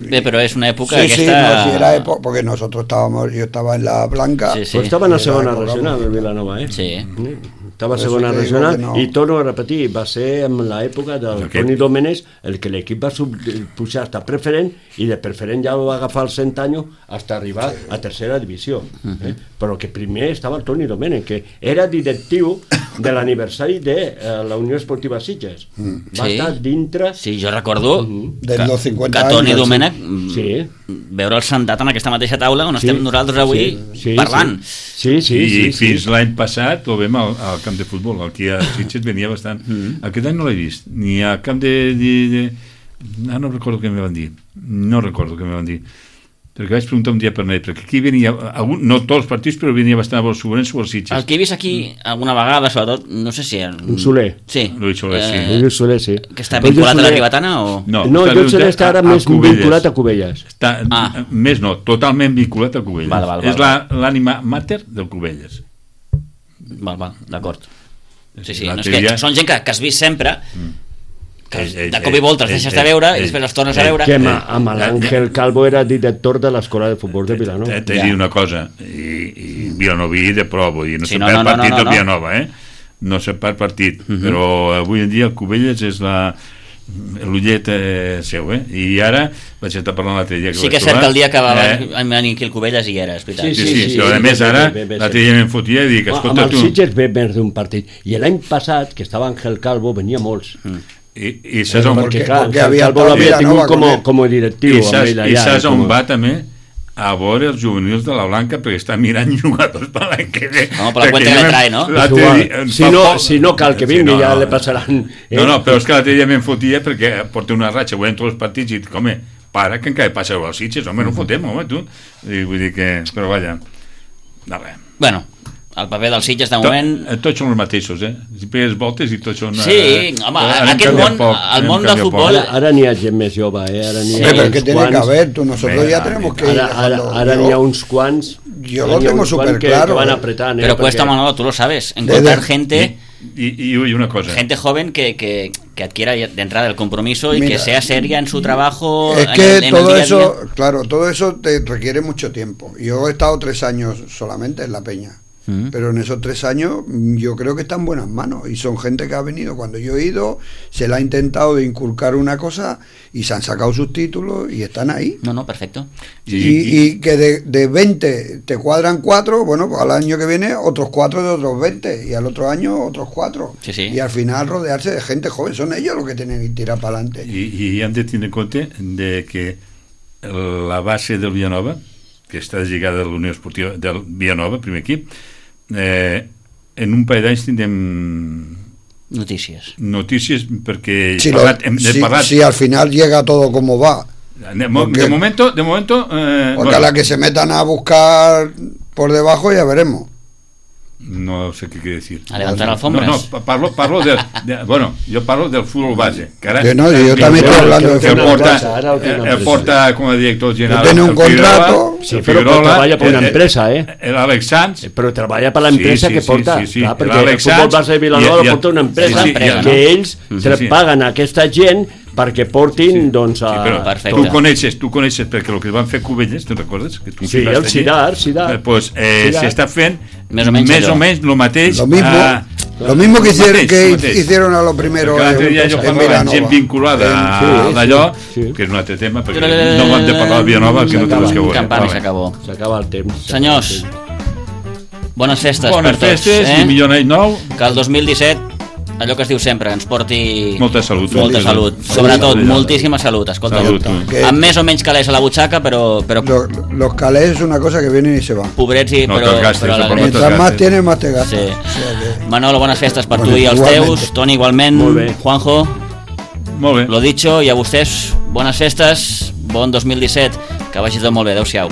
Bé, però és una època Sí, sí, aquesta... no, sí, era época, porque nosotros estábamos, yo estaba en la Blanca. Sí, sí. Però estava en la Era segona època, regional, el Vilanova, eh? Sí. Estava a Per això segona te digo regional que no. i torno a repetir, va ser en l'època del Aquest. Toni Domènech el que l'equip va sub, pujar hasta preferent i de preferent ja va agafar els cent anys fins a arribar a tercera divisió. Eh? Però que primer estava el Toni Domènech, que era directiu de l'aniversari de eh, la Unió Esportiva Sitges. Va Sí. estar dintre... Sí, jo recordo De que, los cincuenta que Toni anys, Domènech Sí. veure'l sentat en aquesta mateixa taula on Sí. estem nosaltres avui Sí, sí, parlant. Sí, sí, I sí. sí, fins sí. l'any passat ho vam al, al camp de futbol, aquí a Sitges venia bastant. Mm. Aquest any no l'he vist, ni al camp de... de, de... Ah, no recordo què me van dir, no recordo què me van dir, perquè vaig preguntar un dia per net, perquè aquí venia, algun, no tots els partits, però venia bastant a Bolsubense o als Sitges. El que he vist aquí alguna vegada, sobretot, no sé si... En... Un Soler. Sí. Luis Soler, sí. Eh, Lluís Soler, sí. que està Però vinculat Lluís a la Soler- Ribetana o... No, No, està Lluís Soler vinculat està ara a- a més Cubelles. vinculat a Cubelles. Està, Ah. Més no, totalment vinculat a Cubelles. Val, val, val, és la- l'ànima mater del Cubelles. Val, val, d'acord. Sí, sí, La no, és que teoria- són gent que, que has vist sempre, que Ell- ell- de cop i volta els ell- deixes ell- de veure i ell- després els tornes a ell- veure. Que amb, Eh, amb l'Àngel Calvo era director de l'Escola de Futbol de Vilanova. T'he de Ja. dir una cosa, i, i Vilanoví de prou, vull dir, no Sí, sé no, per no, no, partit no, del no. Villanova, eh? No sé per partit, Mhm. però avui en dia el Cubelles és la l'ullet eh, seu, eh? I ara vaig estar parlant l'altre dia que Sí vaig que és cert trobar, que el dia que va eh, venir aquí el Cubelles hi era, és veritat. Sí, sí, Sí, sí, sí, però a sí, més bé, ara bé, bé, bé, l'altre sí. dia me'n fotia i dic, Ah, escolta amb tu, els Sitges ve més d'un partit. I l'any passat, que estava Àngel Calvo, venia molts. i, i saps on, Perquè, Perquè- clar, perquè Àngel havia Calvo estat l'havia Vilanova tingut com, con a- ell. com a directiu. i amb saps, ell i allà, saps com on a- va també? A veure els juvenils de la Blanca perquè està mirant jugadors per l'any que ve. Home, per la Perquè cuenta que ja le me'n- trae, no? l'altre És igual. dia- Si fa no, poc- si no cal que Sí, vingui, no, ja no. le passaran. eh? No, no, però és que l'altre dia me'n fotia perquè porta una ratxa, veient tots els partits i dic, home, para que encara passa als Sitges, home, no fotem, home, tu. I vull dir que... Però vaja, no res. Bueno, el paper dels Sitges de To, moment... eh, tots són els mateixos, eh? Si pegues voltes i tots són... Sí, eh, home, anem aquest canviant món, poc, el anem món del canviant poc. futbol- Ara, ara n'hi ha gent més jove, eh? Ara n'hi ha Pero es uns que tiene que quants- haber, tú, nosotros Venga, ya tenemos que ir Ara, ara, dejando. ara Yo- n'hi ha uns quants... yo ara lo n'hi ha tengo uns quants súper que, claro, que van eh. apretant, eh? Pero cuesta, Perquè- Manolo, tú lo sabes, encontrar Desde- gente... I, i, i una cosa. Gente joven que, que, que adquiera de entrada el compromiso y Mira, que sea seria en su trabajo. Es en que el- en el todo día a eso, día. claro, todo eso te requiere mucho tiempo. Yo he estado tres años solamente en La Peña, Mm. pero en esos tres años mm, yo creo que está en buenas manos y son gente que ha venido cuando yo he ido, se le ha intentado de inculcar una cosa y se han sacado sus títulos y están ahí. No, no, perfecto. I, Y, y que de, de veinte te cuadran cuatro, bueno, pues al año que viene otros cuatro de otros veinte y al otro año otros cuatro. Sí, sí. Y al final rodearse de gente joven, son ellos los que tienen que tirar para adelante. I, i hem de tenir en compte de que la base del Villanova, que està lligada a la Unió Esportiva del Villanova, primer equip, eh, en un parell d'anys tindrem Notícies. notícies perquè Si, he lo- parlat, hem, he si- parlat si al final llega todo como va, de, mo- porque- de momento de momento eh, porque bueno, a la que se metan a buscar por debajo ya veremos. no sé qué quiere decir. A levantar alfombras. No, no, parlo, parlo del, de, bueno, yo parlo del fútbol base. Que ara, Yo no, yo que, también estoy hablando de que fútbol porta, base, ara ho té una eh, empresa. porta com a director general. Tiene un el Figueroa, contrato. Sí, el però, però Figueroa, treballa per una eh, empresa, eh? L'Àlex Sanz. Però treballa per l'empresa Sí, sí, que porta. sí, sí, sí. Clar, perquè el L'Àlex futbol Sanz base de Vilanova i- i- el porta una empresa, sí, sí, que no? ells Sí, sí, sí. paguen a aquesta gent perquè portin, Sí. doncs, a... Sí, però Perfecte. tu coneixes, tu coneixes perquè el que van fer Cubelles, te'n recordes? Que tu Sí, vas el allí. Sidar, Sidar. Eh, pues, eh, Sidar. s'està fent Més o menys més allò. o menys el mateix. Lo mismo, a- lo mismo que, lo hicieron, mateix, que lo mateix. hicieron a lo primero Perquè l'altre en, dia jo en parlava amb gent Vilanova. vinculada Sí, a sí, d'allò, sí. que és un altre tema, perquè no hem de parlar de Vilanova, que no té res que veure. Campana i Vale. s'acabó. S'acaba el temps. Senyors, bones festes Bones per tots. festes eh? i millor any nou. Que el dos mil disset, allò que es diu sempre, ens porti Molta salut. molta salut. Salut. Sobretot, Salut. moltíssima salut. Escolta, Salut. Que- amb més o menys calés a la butxaca, però, però Lo- los calés es una cosa que vienen y se van. pobrets i No però, te'ls gastes, però no alegres. te'ls Mientras más gastes. tienes, más te gastas. Sí. O sea que- Manolo, bones festes per Bueno, tu i els igualment. teus. Toni, igualment. Molt bé. Juanjo, Molt bé. lo dicho, i a vostès, bones festes, bon dos mil disset, que vagi tot molt bé. Adéu-siau.